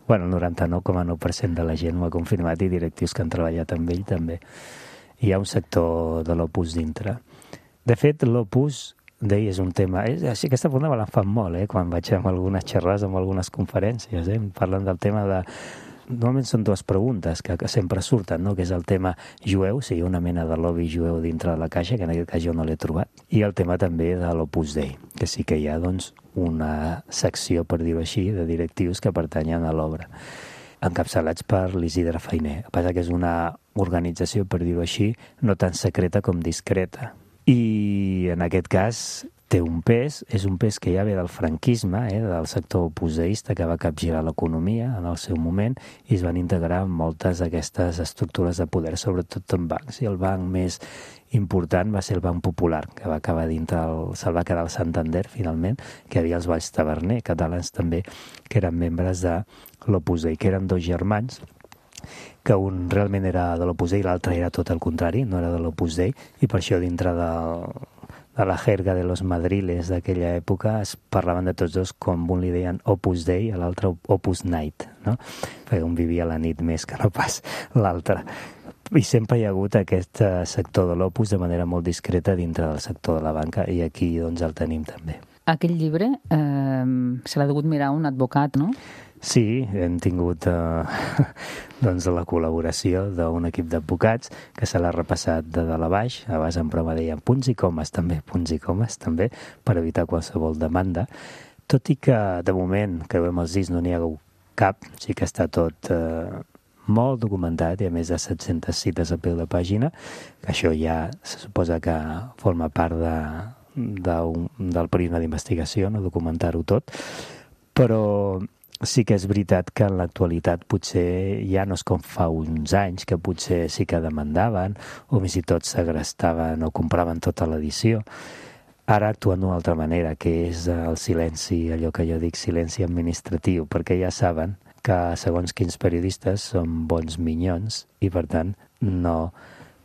Bueno, el noranta-nou coma nou per cent de la gent m'ho ha confirmat i directius que han treballat amb ell també. Hi ha un sector de l'Opus dintre. De fet, l'Opus Dei és un tema... És, així, aquesta pregunta me l'han fet molt, eh? Quan vaig amb algunes xerrades, amb algunes conferències, eh? Parlen del tema de... Normalment són dues preguntes que, que sempre surten, no?, que és el tema jueu, si hi ha una mena de lobby jueu dintre de la caixa, que en aquest cas jo no l'he trobat, i el tema també de l'Opus Dei, que sí que hi ha, doncs, una secció, per dir-ho així, de directius que pertanyen a l'obra, encapçalats per l'Isidre Fainé. El que passa que és una organització, per dir-ho així, no tan secreta com discreta. I en aquest cas té un pes, és un pes que ja ve del franquisme, eh, del sector opuseista que va capgirar l'economia en el seu moment i es van integrar en moltes d'aquestes estructures de poder, sobretot en bancs. I el banc més important va ser el Banc Popular, que va acabar dintre, el, se'l va quedar el Santander, finalment, que hi havia els Valls Taverner, catalans també, que eren membres de l'Opus Dei, que eren dos germans, que un realment era de l'Opus Dei i l'altre era tot el contrari, no era de l'Opus Dei, i per això dintre del, de la jerga de los madriles d'aquella època es parlaven de tots dos com un li deien Opus Dei i l'altre Opus Night, no? Perquè un vivia la nit més que no pas l'altre. I sempre hi ha hagut aquest sector de l'Opus de manera molt discreta dintre del sector de la banca i aquí doncs el tenim també. Aquell llibre eh, se l'ha degut mirar un advocat, no? Sí, hem tingut eh, doncs la col·laboració d'un equip d'advocats que se l'ha repassat de dalt a baix, a base en prova deien punts i comes també, punts i comes també, per evitar qualsevol demanda, tot i que de moment que veiem els discs no n'hi ha cap, sí que està tot eh, molt documentat i a més de set-centes cites a peu de pàgina, que això ja se suposa que forma part de, de un, del període d'investigació, no documentar-ho tot, però sí que és veritat que en l'actualitat potser ja no és com fa uns anys, que potser sí que demandaven o fins i tot segrestaven o compraven tota l'edició. Ara actuen d'una altra manera, que és el silenci, allò que jo dic silenci administratiu, perquè ja saben que segons quins periodistes són bons minyons i per tant no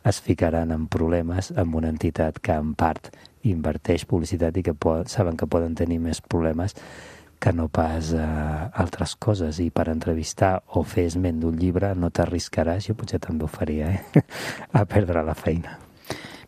es ficaran en problemes amb una entitat que en part inverteix publicitat i que pot, saben que poden tenir més problemes que no pas eh, altres coses, i per entrevistar o fer esment d'un llibre no t'arriscaràs, jo potser també ho faria, eh? a perdre la feina.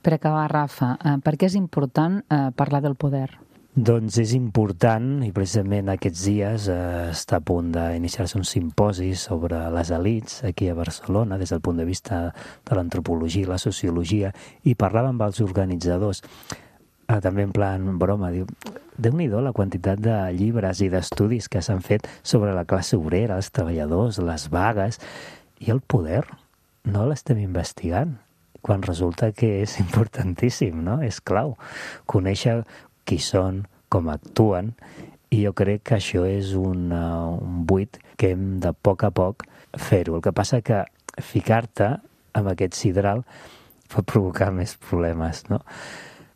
Per acabar, Rafa, eh, per què és important eh, parlar del poder? Doncs és important, i precisament aquests dies eh, està a punt d'iniciar-se un simposi sobre les elits aquí a Barcelona, des del punt de vista de l'antropologia i la sociologia, i parlava amb els organitzadors, Ah, també en plan broma, diu, déu-n'hi-do la quantitat de llibres i d'estudis que s'han fet sobre la classe obrera, els treballadors, les vagues, i el poder no l'estem investigant, quan resulta que és importantíssim, no? És clau. Conèixer qui són, com actuen, i jo crec que això és un, uh, un buit que hem de poc a poc fer-ho. El que passa que ficar-te amb aquest sidral pot provocar més problemes, no?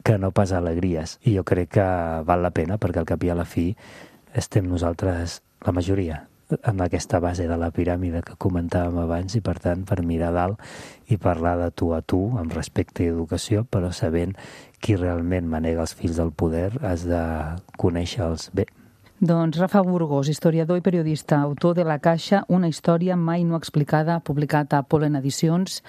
Que no pas alegries. I jo crec que val la pena perquè al cap i a la fi estem nosaltres, la majoria, en aquesta base de la piràmide que comentàvem abans, i per tant per mirar dalt i parlar de tu a tu amb respecte i educació, però sabent qui realment manega els fils del poder has de conèixer-los bé. Doncs Rafa Burgos, historiador i periodista, autor de La Caixa, una història mai no explicada, publicat a Polen Edicions.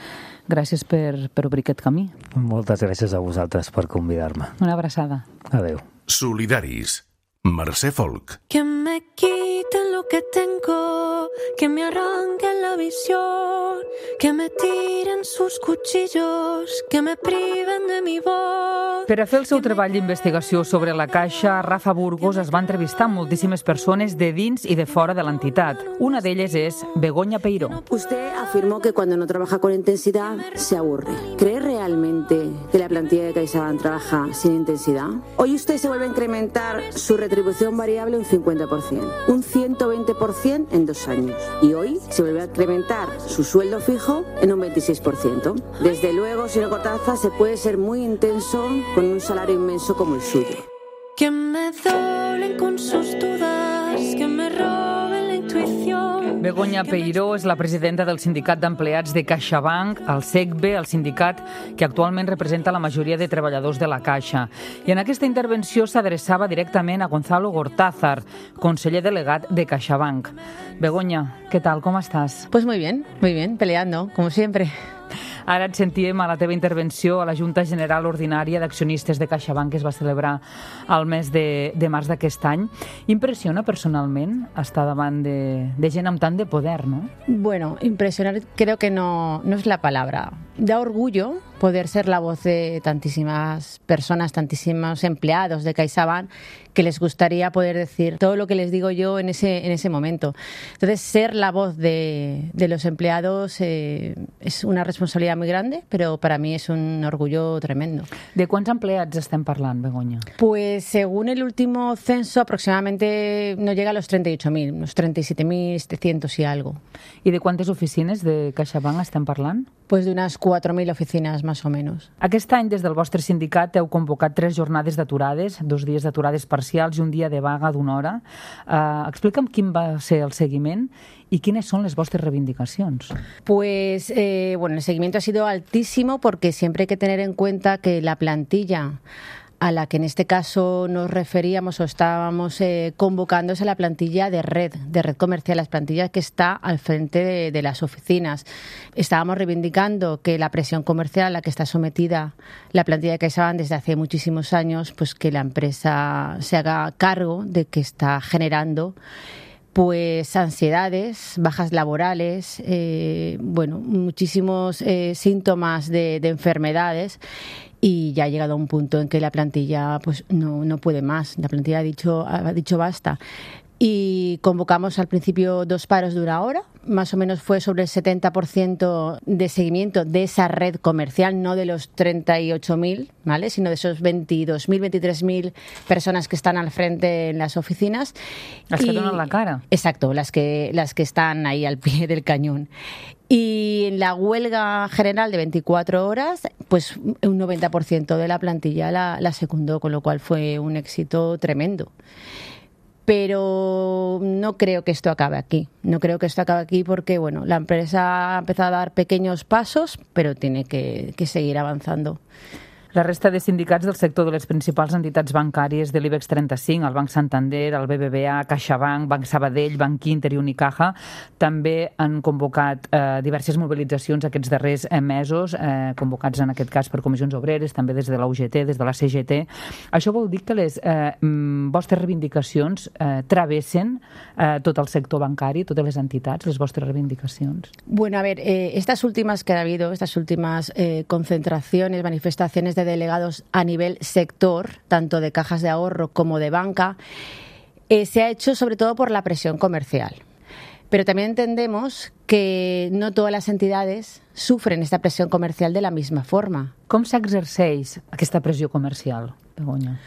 Gràcies per, per obrir aquest camí. Moltes gràcies a vosaltres per convidar-me. Una abraçada. Adéu. Solidaris. Mercè Folk. Que me quiten lo que tengo, que me arranquen la visión, que me tiren sus cuchillos, que me priven de mi voz. Per a fer el seu treball d'investigació sobre la Caixa, Rafa Burgos es va entrevistar amb moltíssimes persones de dins i de fora de l'entitat. Una d'elles és Begoña Peiró. Usted afirmó que cuando no trabaja con intensidad se aburre. ¿Cree realmente que la plantilla de CaixaBank trabaja sin intensidad? Hoy usted se vuelve a incrementar su retribución variable un cincuenta por ciento, un ciento veinte por ciento en dos años. Y hoy se vuelve a incrementar su sueldo fijo en un veintiséis por ciento. Desde luego, señor Cortázar, se puede ser muy intenso con un salario inmenso como el suyo. Que me doblen con sus dudas, que me roben la intuición. Begoña Peiró és la presidenta del Sindicat d'Empleats de CaixaBank, el SECBE, el sindicat que actualment representa la majoria de treballadors de la Caixa. I en aquesta intervenció s'adreçava directament a Gonzalo Gortázar, conseller delegat de CaixaBank. Begoña, ¿qué tal? ¿Cómo estás? Pues muy bien, muy bien, peleando, como siempre. Ara et sentíem a la teva intervenció a la Junta General Ordinària d'Accionistes de CaixaBank, que es va celebrar al mes de, de març d'aquest any. Impressiona personalment estar davant de, de gent amb tant de poder, ¿no? Bueno, impresionar creo que no, no es la palabra. Da orgullo poder ser la voz de tantísimas personas, tantísimos empleados de CaixaBank que les gustaría poder decir todo lo que les digo yo en ese, en ese momento. Entonces, ser la voz de, de los empleados eh, es una responsabilidad muy grande, pero para mí es un orgullo tremendo. De quants empleats estem parlant, Begoña? Pues según el último censo, aproximadamente no llega a los treinta y ocho mil, unos treinta y siete mil setecientos y algo. I de quantes oficines de CaixaBank estem parlant? Pues de unas cuatro mil oficinas, más o menos. Aquest any, des del vostre sindicat, heu convocat tres jornades d'aturades, dos dies d'aturades parcials i un dia de vaga d'una hora. Uh, explica'm quin va ser el seguiment y quiénes son las vuestras reivindicaciones. Pues, eh, bueno, el seguimiento ha sido altísimo porque siempre hay que tener en cuenta que la plantilla a la que en este caso nos referíamos o estábamos eh, convocando es a la plantilla de red, de red comercial, las plantillas que está al frente de, de las oficinas. Estábamos reivindicando que la presión comercial a la que está sometida la plantilla de CaixaBank desde hace muchísimos años, pues que la empresa se haga cargo de que está generando pues ansiedades, bajas laborales, eh, bueno, muchísimos eh, síntomas de, de enfermedades. Y ya ha llegado a un punto en que la plantilla pues no, no puede más. La plantilla ha dicho, ha dicho basta. Y convocamos al principio dos paros de una hora. Más o menos fue sobre el setenta por ciento de seguimiento de esa red comercial, no de los treinta y ocho mil, ¿vale? Sino de esos veintidós mil, veintitrés mil personas que están al frente en las oficinas. Las que donan la cara. Exacto, las que, las que están ahí al pie del cañón. Y en la huelga general de veinticuatro horas, pues un noventa por ciento de la plantilla la, la secundó, con lo cual fue un éxito tremendo. Pero no creo que esto acabe aquí. No creo que esto acabe aquí porque, bueno, la empresa ha empezado a dar pequeños pasos, pero tiene que, que seguir avanzando. La resta de sindicats del sector de les principals entitats bancàries de l'IBEX trenta-cinc, el Banc Santander, el B B V A, CaixaBank, Banc Sabadell, Banc Inter i Unicaja, també han convocat eh, diverses mobilitzacions aquests darrers eh, mesos, eh, convocats en aquest cas per comissions obreres, també des de la U G T, des de la C G T. Això vol dir que les eh, vostres reivindicacions eh, travessen eh, tot el sector bancari, totes les entitats, les vostres reivindicacions? Bueno, a ver, eh, estas últimas que ha habido, estas últimas eh, concentraciones, manifestaciones de delegados a nivel sector, tanto de cajas de ahorro como de banca, eh, se ha hecho sobre todo por la presión comercial. Pero también entendemos que no todas las entidades sufren esta presión comercial de la misma forma. Com s'exerceix aquesta pressió comercial, Begoña?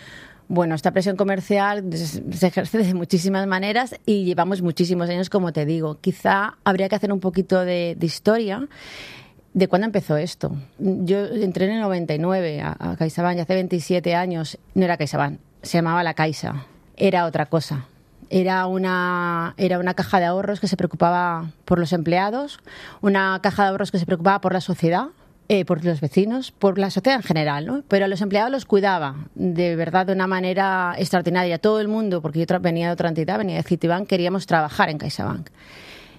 Bueno, esta presión comercial se ejerce de muchísimas maneras y llevamos muchísimos años, como te digo. Quizá habría que hacer un poquito de, de historia. ¿De cuándo empezó esto? Yo entré en el noventa y nueve a, a CaixaBank y hace veintisiete años no era CaixaBank, se llamaba La Caixa, era otra cosa. Era una, era una caja de ahorros que se preocupaba por los empleados, una caja de ahorros que se preocupaba por la sociedad, eh, por los vecinos, por la sociedad en general, ¿no? Pero a los empleados los cuidaba de verdad de una manera extraordinaria. Todo el mundo, porque yo venía de otra entidad, venía de Citibank, queríamos trabajar en CaixaBank.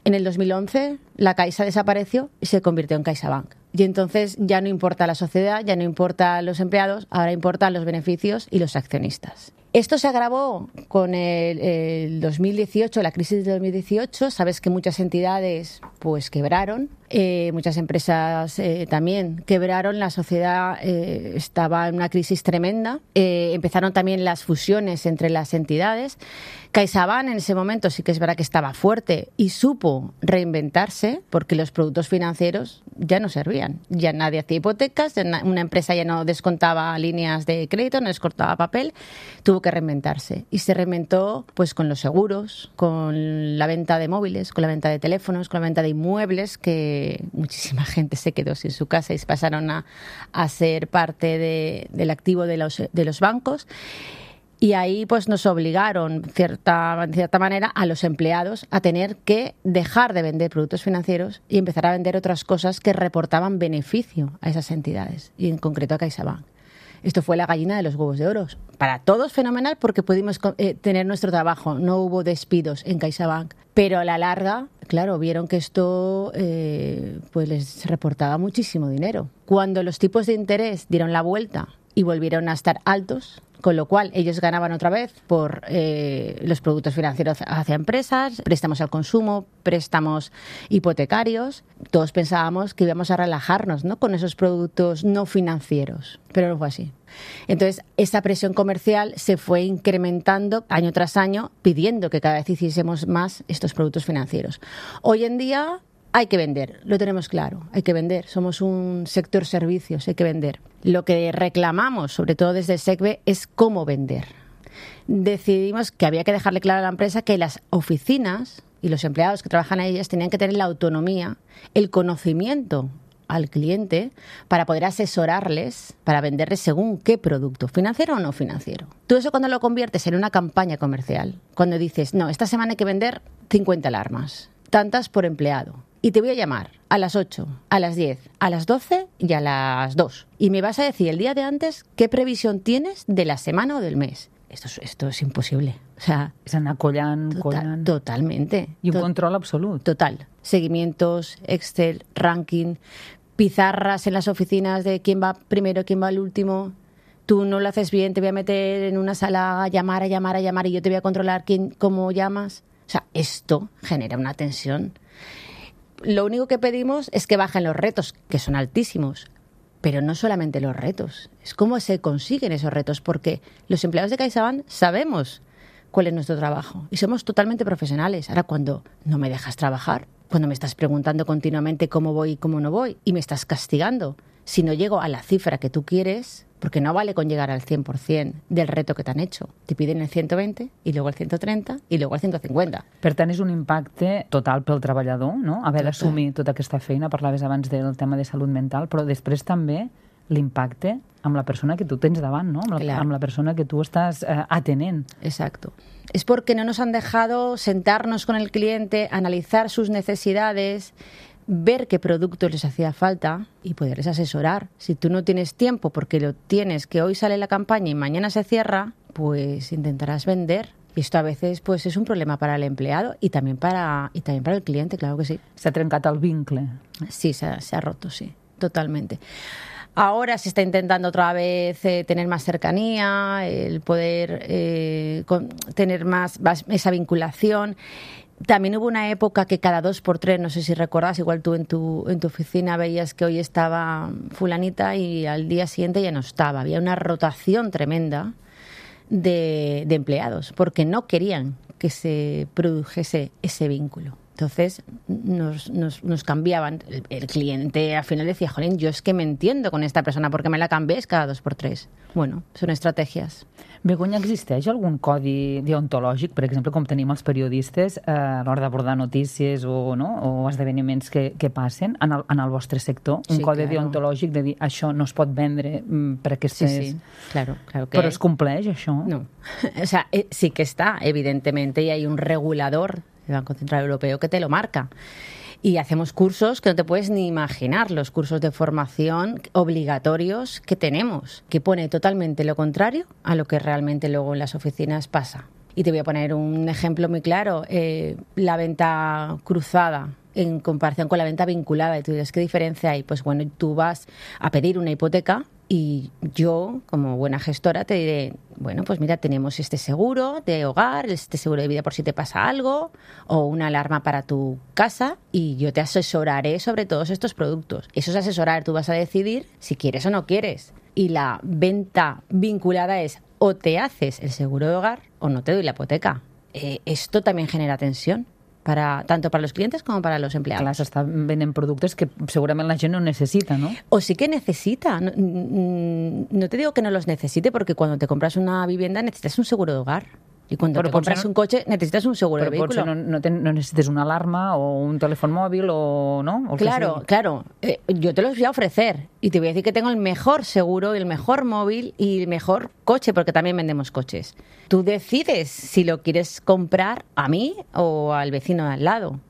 En el dos mil once la Caixa desapareció y se convirtió en CaixaBank. Y entonces ya no importa la sociedad, ya no importa los empleados, ahora importan los beneficios y los accionistas. Esto se agravó con el, el dos mil dieciocho, la crisis de dos mil dieciocho. Sabes que muchas entidades pues quebraron, eh, muchas empresas eh, también quebraron, la sociedad eh, estaba en una crisis tremenda. Eh, empezaron también las fusiones entre las entidades. CaixaBank en ese momento sí que es verdad que estaba fuerte y supo reinventarse porque los productos financieros ya no servían. Ya nadie hacía hipotecas, una empresa ya no descontaba líneas de crédito, no descontaba papel, tuvo que reinventarse. Y se reinventó pues con los seguros, con la venta de móviles, con la venta de teléfonos, con la venta de inmuebles, que muchísima gente se quedó sin su casa y se pasaron a, a ser parte de, del activo de los, de los bancos. Y ahí pues nos obligaron, cierta, de cierta manera, a los empleados a tener que dejar de vender productos financieros y empezar a vender otras cosas que reportaban beneficio a esas entidades, y en concreto a CaixaBank. Esto fue la gallina de los huevos de oro. Para todos fenomenal porque pudimos eh, tener nuestro trabajo, no hubo despidos en CaixaBank. Pero a la larga, claro, vieron que esto eh, pues les reportaba muchísimo dinero. Cuando los tipos de interés dieron la vuelta y volvieron a estar altos, con lo cual ellos ganaban otra vez por eh, los productos financieros hacia empresas, préstamos al consumo, préstamos hipotecarios. Todos pensábamos que íbamos a relajarnos, ¿no?, con esos productos no financieros, pero no fue así. Entonces, esa presión comercial se fue incrementando año tras año, pidiendo que cada vez hiciésemos más estos productos financieros. Hoy en día hay que vender, lo tenemos claro, hay que vender. Somos un sector servicios, hay que vender. Lo que reclamamos, sobre todo desde el SECBE, es cómo vender. Decidimos que había que dejarle claro a la empresa que las oficinas y los empleados que trabajan en ellas tenían que tener la autonomía, el conocimiento al cliente para poder asesorarles, para venderles según qué producto, financiero o no financiero. Tú eso cuando lo conviertes en una campaña comercial, cuando dices, no, esta semana hay que vender cincuenta alarmas, tantas por empleado. Y te voy a llamar a las ocho, a las diez, a las doce y a las dos. Y me vas a decir el día de antes qué previsión tienes de la semana o del mes. Esto es, esto es imposible. O sea, és anar collant, total, collant. Totalmente. I un Tot, control absolut. Total. Seguimientos, Excel, ranking, pizarras en las oficinas de quién va primero, quién va al último. Tú no lo haces bien, te voy a meter en una sala a llamar, a llamar, a llamar y yo te voy a controlar quién, cómo llamas. O sea, esto genera una tensión. Lo único que pedimos es que bajen los retos, que son altísimos, pero no solamente los retos, es cómo se consiguen esos retos, porque los empleados de CaixaBank sabemos cuál es nuestro trabajo y somos totalmente profesionales. Ahora, cuando no me dejas trabajar, cuando me estás preguntando continuamente cómo voy y cómo no voy y me estás castigando si no llego a la cifra que tú quieres, porque no vale con llegar al cien por ciento del reto que t'han hecho. Te piden el ciento veinte i luego el ciento trenta i luego el ciento cincuenta. Per tant, és un impacte total pel treballador, no? Haver d'assumir tota aquesta feina. Parlaves abans del tema de salut mental, però després també l'impacte amb la persona que tu tens davant, no? Amb la, Claro. amb la persona que tu estàs eh, atenent. Exacto. Es porque no nos han dejado sentarnos con el cliente, analizar sus necesidades, ver qué productos les hacía falta y poderles asesorar. Si tú no tienes tiempo porque lo tienes, que hoy sale la campaña y mañana se cierra, pues intentarás vender. Y esto a veces pues es un problema para el empleado y también para, y también para el cliente, claro que sí. Se ha trencat el vincle. Sí, se ha, se ha roto, sí, totalmente. Ahora se está intentando otra vez eh, tener más cercanía, el poder eh, con, tener más, más esa vinculación. También hubo una época que cada dos por tres, no sé si recuerdas, igual tú en tu, en tu oficina veías que hoy estaba fulanita y al día siguiente ya no estaba. Había una rotación tremenda de, de empleados porque no querían que se produjese ese vínculo. Entonces nos, nos, nos cambiaban. El, el cliente al final decía, jolín, yo es que me entiendo con esta persona perquè me la canvies cada dos por tres. Bueno, són estratègies. Begoña, existeix algun codi deontològic, per exemple, com tenim els periodistes eh, a l'hora d'abordar notícies o, no, o esdeveniments que, que passen en el, en el vostre sector? Un Sí, codi claro. deontològic de dir això no es pot vendre mm, per aquestes... Sí, sí, claro, claro que Però es compleix, això? No. O sea, eh, sí que está, evidentemente, y hay un regulador del Banco Central Europeo que te lo marca. Y hacemos cursos que no te puedes ni imaginar, los cursos de formación obligatorios que tenemos, que pone totalmente lo contrario a lo que realmente luego en las oficinas pasa. Y te voy a poner un ejemplo muy claro, eh, la venta cruzada en comparación con la venta vinculada. Y tú dices, ¿qué diferencia hay? Pues bueno, tú vas a pedir una hipoteca y yo, como buena gestora, te diré, bueno, pues mira, tenemos este seguro de hogar, este seguro de vida por si te pasa algo, o una alarma para tu casa, y yo te asesoraré sobre todos estos productos. Eso es asesorar, tú vas a decidir si quieres o no quieres. Y la venta vinculada es o te haces el seguro de hogar o no te doy la hipoteca. Eh, esto también genera tensión. Para, tanto para los clientes como para los empleados. Clar, s'estan venent productes que segurament la gent no necesita, ¿no? O sí que necesita. No, no te digo que no los necesite, porque cuando te compras una vivienda necesitas un seguro de hogar. Y cuando Però te compras no, un coche necesitas un seguro però de vehículo. no, no, ten, no necessites una alarma o un telèfon mòbil o no. O Claro, que claro. Eh, yo te los voy a ofrecer y te voy a decir que tengo el mejor seguro, el mejor móvil y el mejor coche, porque también vendemos coches. Tú decides si lo quieres comprar a mí o al vecino de al lado.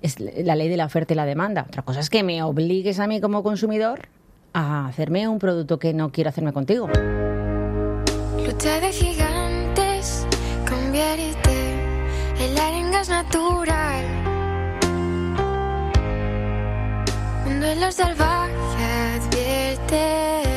Es la ley de la oferta y la demanda. Otra cosa es que me obligues a mí como consumidor a hacerme un producto que no quiero hacerme contigo. Lucha de gigantes, convierte el arenga es natural. Un duelo salvaje advierte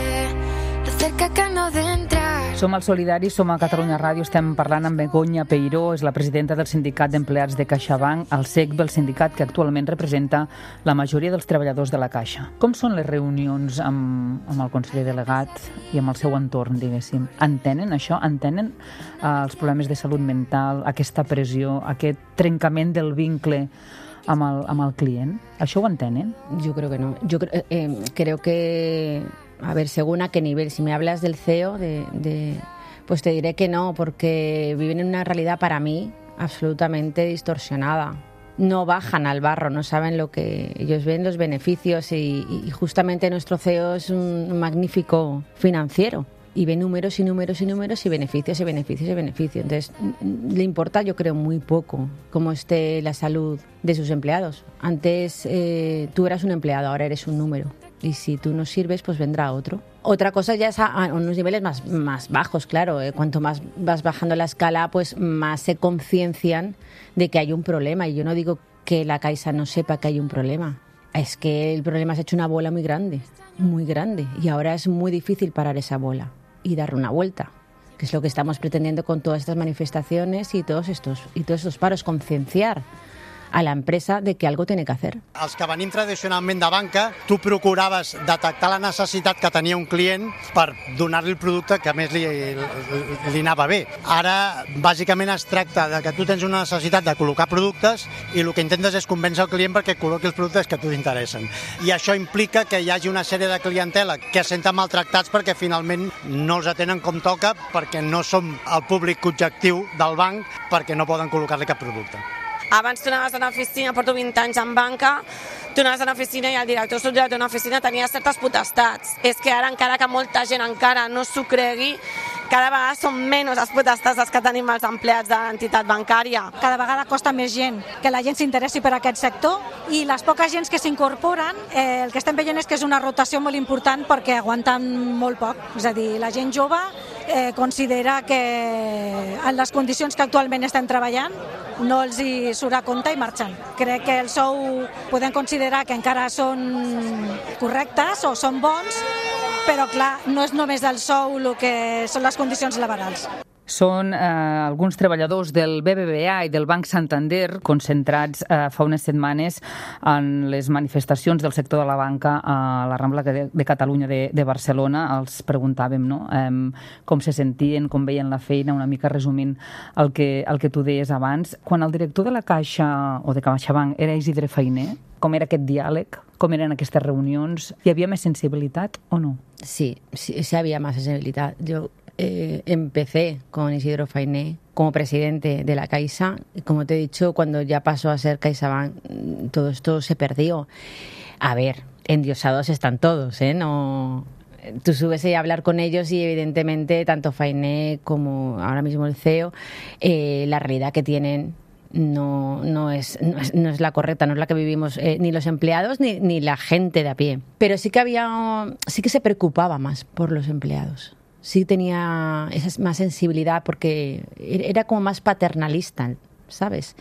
lo cerca que no de entrar. Som al Solidari, som a Catalunya Ràdio, estem parlant amb Begoña Peiró, és la presidenta del Sindicat d'Empleats de CaixaBank, el S E C B, el sindicat que actualment representa la majoria dels treballadors de la Caixa. Com són les reunions amb, amb el conseller delegat i amb el seu entorn, diguéssim? Entenen això? Entenen eh, els problemes de salut mental, aquesta pressió, aquest trencament del vincle amb el, amb el client? Això ho entenen? Yo creo que no. Yo creo, eh, creo que, a ver, según a qué nivel. Si me hablas del C E O, de, de, pues te diré que no, porque viven en una realidad para mí absolutamente distorsionada. No bajan al barro, no saben lo que ellos ven, los beneficios, y, y justamente nuestro C E O es un magnífico financiero. Y ve números y números y números y beneficios y beneficios y beneficios. Entonces, le importa, yo creo, muy poco cómo esté la salud de sus empleados. Antes eh, tú eras un empleado, ahora eres un número. Y si tú no sirves, pues vendrá otro. Otra cosa ya es a, a unos niveles más, más bajos, claro. Eh, cuanto más vas bajando la escala, pues más se conciencian de que hay un problema. Y yo no digo que la Caixa no sepa que hay un problema. Es que el problema se ha hecho una bola muy grande, muy grande. Y ahora es muy difícil parar esa bola y darle una vuelta, que es lo que estamos pretendiendo con todas estas manifestaciones y todos estos, y todos estos paros, concienciar a la empresa de que algo tiene que hacer. Els que venim tradicionalment de banca, tu procuraves detectar la necessitat que tenia un client per donar-li el producte que més li, li, li anava bé. Ara, bàsicament, es tracta de que tu tens una necessitat de col·locar productes i el que intentes és convèncer el client perquè col·loqui els productes que a tu t'interessen. I això implica que hi hagi una sèrie de clientela que es senten maltractats perquè finalment no els atenen com toca, perquè no som el públic objectiu del banc, perquè no poden col·locar-li cap producte. Abans tu anaves a una oficina, porto vint anys en banca, tu anaves a una oficina i el director subdirector d'una oficina tenia certes potestats. És que ara, encara que molta gent encara no s'ho cregui, cada vegada són menys les potestats que tenim els empleats de l'entitat bancària. Cada vegada costa més gent que la gent s'interessi per aquest sector, i les poques gens que s'incorporen, eh, el que estem veient és que és una rotació molt important perquè aguanten molt poc. És a dir, la gent jove eh, considera que en les condicions que actualment estem treballant no els hi surt a compte i marxen. Crec que el sou podem considerar que encara són correctes o són bons, però clar, no és només el sou el que són les condicions laborals. Són eh, alguns treballadors del B B V A i del Banc Santander concentrats eh, fa unes setmanes en les manifestacions del sector de la banca a la Rambla de, de Catalunya de, de Barcelona. Els preguntàvem, no?, eh, com se sentien, com veien la feina, una mica resumint el que, el que tu deies abans. Quan el director de la Caixa o de CaixaBank era Isidre Fainé, com era aquest diàleg, com eren aquestes reunions, hi havia més sensibilitat o no? Sí, sí, sí había más sensibilidad. Yo Eh, empecé con Isidro Fainé como presidente de la Caixa y, como te he dicho, cuando ya pasó a ser CaixaBank, todo esto se perdió. A ver, endiosados están todos, ¿eh? No, tú subes a hablar con ellos y evidentemente tanto Fainé como ahora mismo el C E O, eh, la realidad que tienen no, no, es, no, es, no es la correcta, no es la que vivimos eh, ni los empleados ni, ni la gente de a pie. Pero sí que había, sí que se preocupaba más por los empleados. Sí tenía esa más sensibilidad porque era como más paternalista, ¿sabes?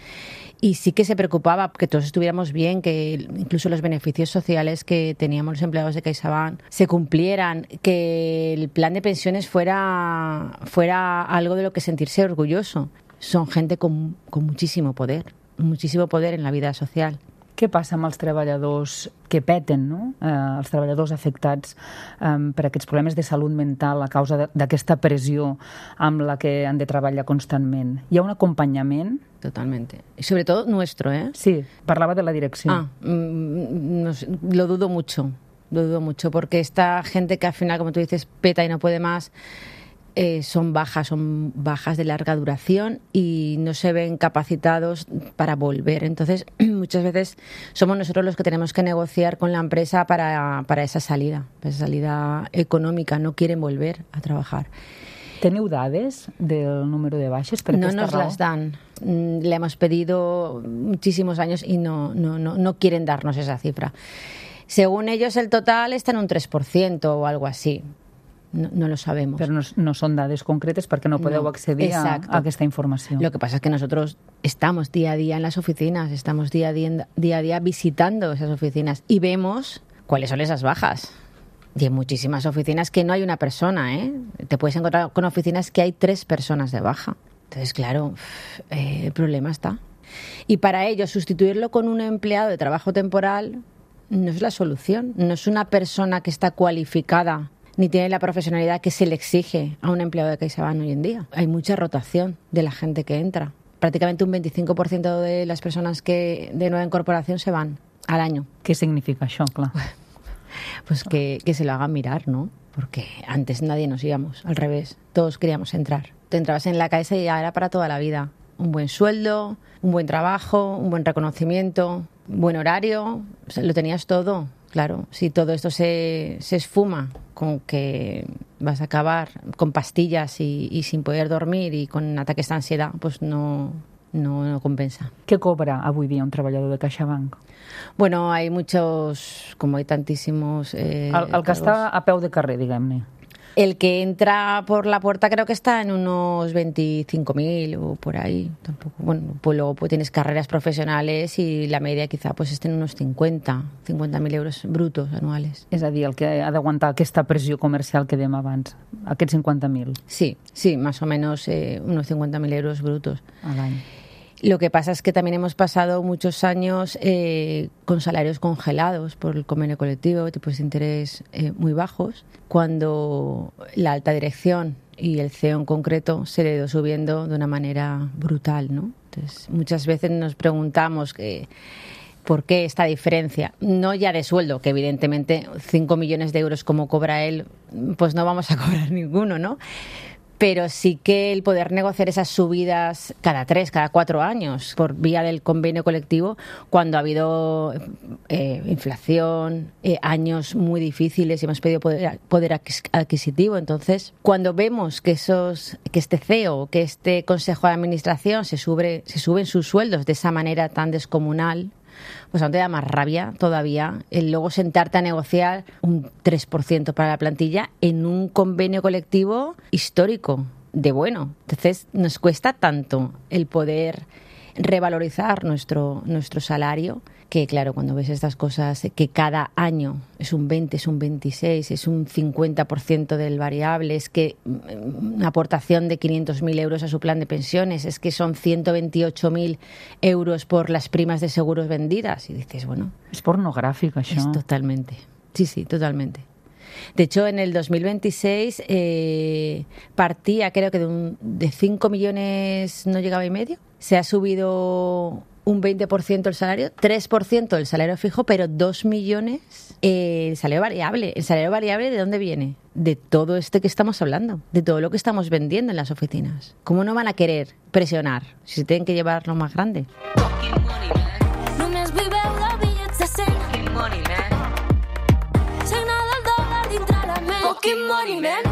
Y sí que se preocupaba que todos estuviéramos bien, que incluso los beneficios sociales que teníamos los empleados de CaixaBank se cumplieran, que el plan de pensiones fuera, fuera algo de lo que sentirse orgulloso. Son gente con, con muchísimo poder, muchísimo poder en la vida social. Què passa amb els treballadors que peten, no? Eh, els treballadors afectats eh, per aquests problemes de salut mental a causa d'aquesta pressió amb la que han de treballar constantment? Hi ha un acompanyament? Totalmente. Y sobre todo nuestro, ¿eh? Sí, parlava de la direcció. Ah, mm, no sé, lo dudo mucho, lo dudo mucho, porque esta gente que al final, como tú dices, peta y no puede más, Eh, son bajas, son bajas de larga duración y no se ven capacitados para volver. Entonces, muchas veces somos nosotros los que tenemos que negociar con la empresa para, para esa salida, para esa salida económica. No quieren volver a trabajar. ¿Teniu dades del número de baixes? Per no nos raó? Las dan. Le hemos pedido muchísimos años y no, no, no, no quieren darnos esa cifra. Según ellos, el total está en un tres por ciento o algo así. No, no lo sabemos. Pero no, no son dades concretes porque no podeu no, accedir a, a aquesta informació. Lo que pasa es que nosotros estamos día a día en las oficinas, estamos día a día, día a día visitando esas oficinas y vemos cuáles son esas bajas. Y en muchísimas oficinas que no hay una persona, ¿eh? Te puedes encontrar con oficinas que hay tres personas de baja. Entonces, claro, eh, el problema está. Y para ello, sustituirlo con un empleado de trabajo temporal no es la solución. No es una persona que está cualificada ni tiene la profesionalidad que se le exige a un empleado de CaixaBank hoy en día. Hay mucha rotación de la gente que entra. Prácticamente un veinticinco por ciento de las personas que de nueva incorporación se van al año. ¿Qué significa això, clar? Pues que, que se lo hagan mirar, ¿no? Porque antes nadie nos íbamos, al revés. Todos queríamos entrar. Te entrabas en la Caixa y ya era para toda la vida. Un buen sueldo, un buen trabajo, un buen reconocimiento, un buen horario. O sea, lo tenías todo. Claro, si todo esto se, se esfuma con que vas a acabar con pastillas y, y sin poder dormir y con ataques de ansiedad, pues no, no, no compensa. Què cobra avui dia un treballador de CaixaBank? Bueno, hay muchos, como hay tantísimos... Eh, el, el que està a peu de carrer, diguem-ne. El que entra por la puerta creo que está en unos veinticinco mil o por ahí. Tampoco. Bueno, pues luego pues tienes carreras profesionales y la media quizá pues esté en unos cincuenta mil euros brutos anuales. És a dir, el que ha d'aguantar aquesta pressió comercial que dèiem abans, aquests cincuenta mil. Sí, sí, más o menos eh, unos cincuenta mil euros brutos. Al año. Lo que pasa es que también hemos pasado muchos años eh, con salarios congelados por el convenio colectivo, tipos de interés eh, muy bajos, cuando la alta dirección y el C E O en concreto se le ha ido subiendo de una manera brutal, ¿no? Entonces, muchas veces nos preguntamos que, ¿por qué esta diferencia? No ya de sueldo, que evidentemente cinco millones de euros como cobra él, pues no vamos a cobrar ninguno, ¿no? Pero sí que el poder negociar esas subidas cada tres, cada cuatro años por vía del convenio colectivo, cuando ha habido eh, inflación, eh, años muy difíciles y hemos pedido poder, poder adquisitivo. Entonces, cuando vemos que esos, que este C E O, que este Consejo de Administración se sube, se suben sus sueldos de esa manera tan descomunal, pues aún te da más rabia todavía el luego sentarte a negociar un tres por ciento para la plantilla en un convenio colectivo histórico de bueno. Entonces nos cuesta tanto el poder revalorizar nuestro, nuestro salario, que claro, cuando ves estas cosas, que cada año es un veinte, es un veintiséis, es un cincuenta por ciento del variable, es que una aportación de quinientos mil euros a su plan de pensiones, es que son ciento veintiocho mil euros por las primas de seguros vendidas. Y dices, bueno... Es pornográfico, això. Es totalmente. Sí, sí, totalmente. De hecho, en el dos mil veintiséis eh, partía, creo que de, un, de cinco millones no llegaba y medio. Se ha subido un veinte por ciento el salario, tres por ciento el salario fijo, pero dos millones eh, el salario variable. ¿El salario variable de dónde viene? De todo este que estamos hablando, de todo lo que estamos vendiendo en las oficinas. ¿Cómo no van a querer presionar si se tienen que llevar lo más grande? Fucking money, man.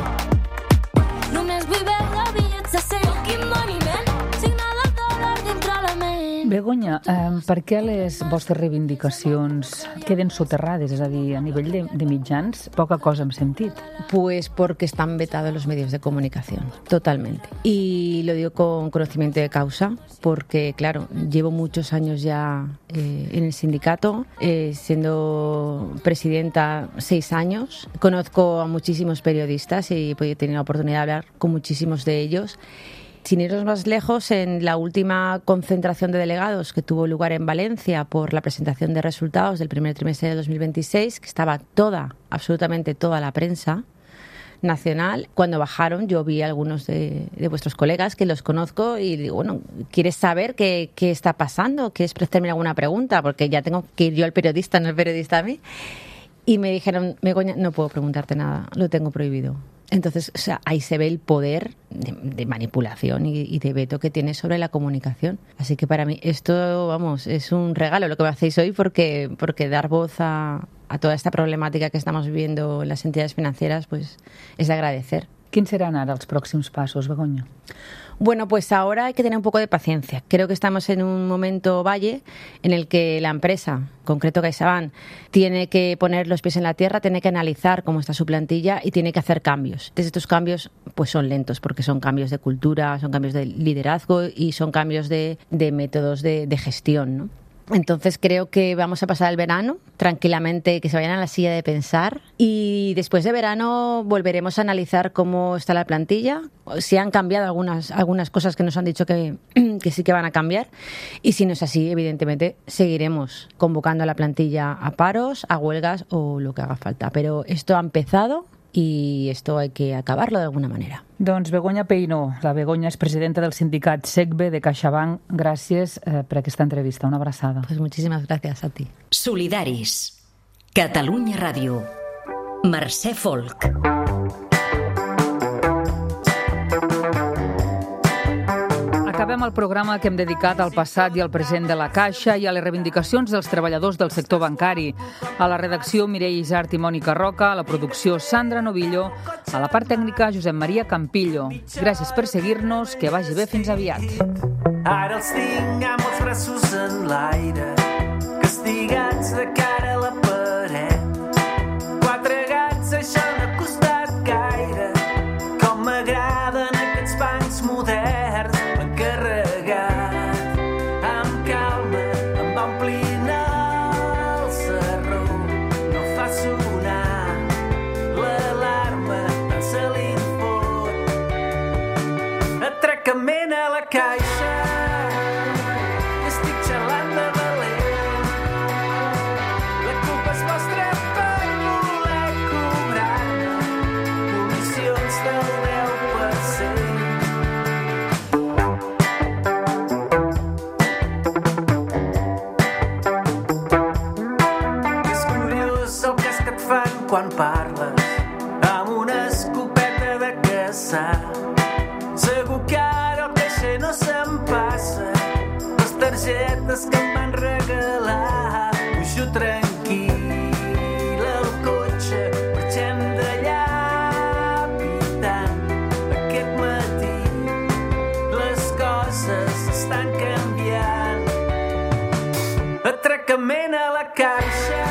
Només vull veure bitllets de cent. Fucking money, man. Signada el dòlar dintre la ment. Begoña, eh, per què les vostres reivindicacions queden soterrades? És a dir, a nivell de, de mitjans, poca cosa hem sentit. Pues porque están vetados los medios de comunicación, totalmente. Y lo digo con conocimiento de causa, porque, claro, llevo muchos años ya eh, en el sindicato, eh, siendo presidenta seis años. Conozco a muchísimos periodistas y he tenido la oportunidad de hablar con muchísimos de ellos. Sin irnos más lejos, en la última concentración de delegados que tuvo lugar en Valencia por la presentación de resultados del primer trimestre de dos mil veintiséis, que estaba toda, absolutamente toda la prensa nacional, cuando bajaron yo vi a algunos de, de vuestros colegas que los conozco y digo, bueno, ¿quieres saber qué, qué está pasando? ¿Quieres hacerme alguna pregunta? Porque ya tengo que ir yo al periodista, no el periodista a mí. Y me dijeron, Begoña, no puedo preguntarte nada, lo tengo prohibido. Entonces, o sea, ahí se ve el poder de, de manipulación y, y de veto que tiene sobre la comunicación. Así que para mí esto, vamos, es un regalo lo que me hacéis hoy porque, porque dar voz a, a toda esta problemática que estamos viviendo en las entidades financieras, pues es de agradecer. Quins seran ara els pròxims passos, Begoña? Bueno, pues ahora hay que tener un poco de paciencia. Creo que estamos en un momento valle en el que la empresa, en concreto CaixaBank, tiene que poner los pies en la tierra, tiene que analizar cómo está su plantilla y tiene que hacer cambios. Entonces, estos cambios pues son lentos porque son cambios de cultura, son cambios de liderazgo y son cambios de, de métodos de, de gestión, ¿no? Entonces creo que vamos a pasar el verano tranquilamente, que se vayan a la silla de pensar y después de verano volveremos a analizar cómo está la plantilla, si han cambiado algunas, algunas cosas que nos han dicho que, que sí que van a cambiar y si no es así, evidentemente seguiremos convocando a la plantilla a paros, a huelgas o lo que haga falta. Pero esto ha empezado i esto hay que acabarlo de alguna manera. Doncs Begoña Peino, la Begoña és presidenta del sindicat SECBE de CaixaBank. Gràcies eh, per aquesta entrevista. Una abraçada. Pues muchísimas gracias a ti. Solidaris. Catalunya Ràdio. Mercè Folk. Acabem el programa que hem dedicat al passat i al present de la Caixa i a les reivindicacions dels treballadors del sector bancari. A la redacció, Mireia Isart i Mònica Roca, a la producció, Sandra Novillo, a la part tècnica, Josep Maria Campillo. Gràcies per seguir-nos, que vagi bé, fins aviat. Ara els tinc amb els braços en l'aire, castigats de cara a la paret. Quatre gats, això no ha costat gaire, com m'agraden aquests bancs moderns. Carregat amb calma, em va omplint el sarró, no fa sonar l'alarma, tant se li fot. Atracament a la caixa, estic xalant de valent. La culpa és vostra per voler cobrar-me comissions del deu per cent. Quan parles amb una escopeta de caçar, segur que ara el caixer no se'm passa les targetes que em van regalar. Pujo tranquil al cotxe, marxem d'allà pitant. Aquest matí les coses estan canviant. Atracament a la caixa,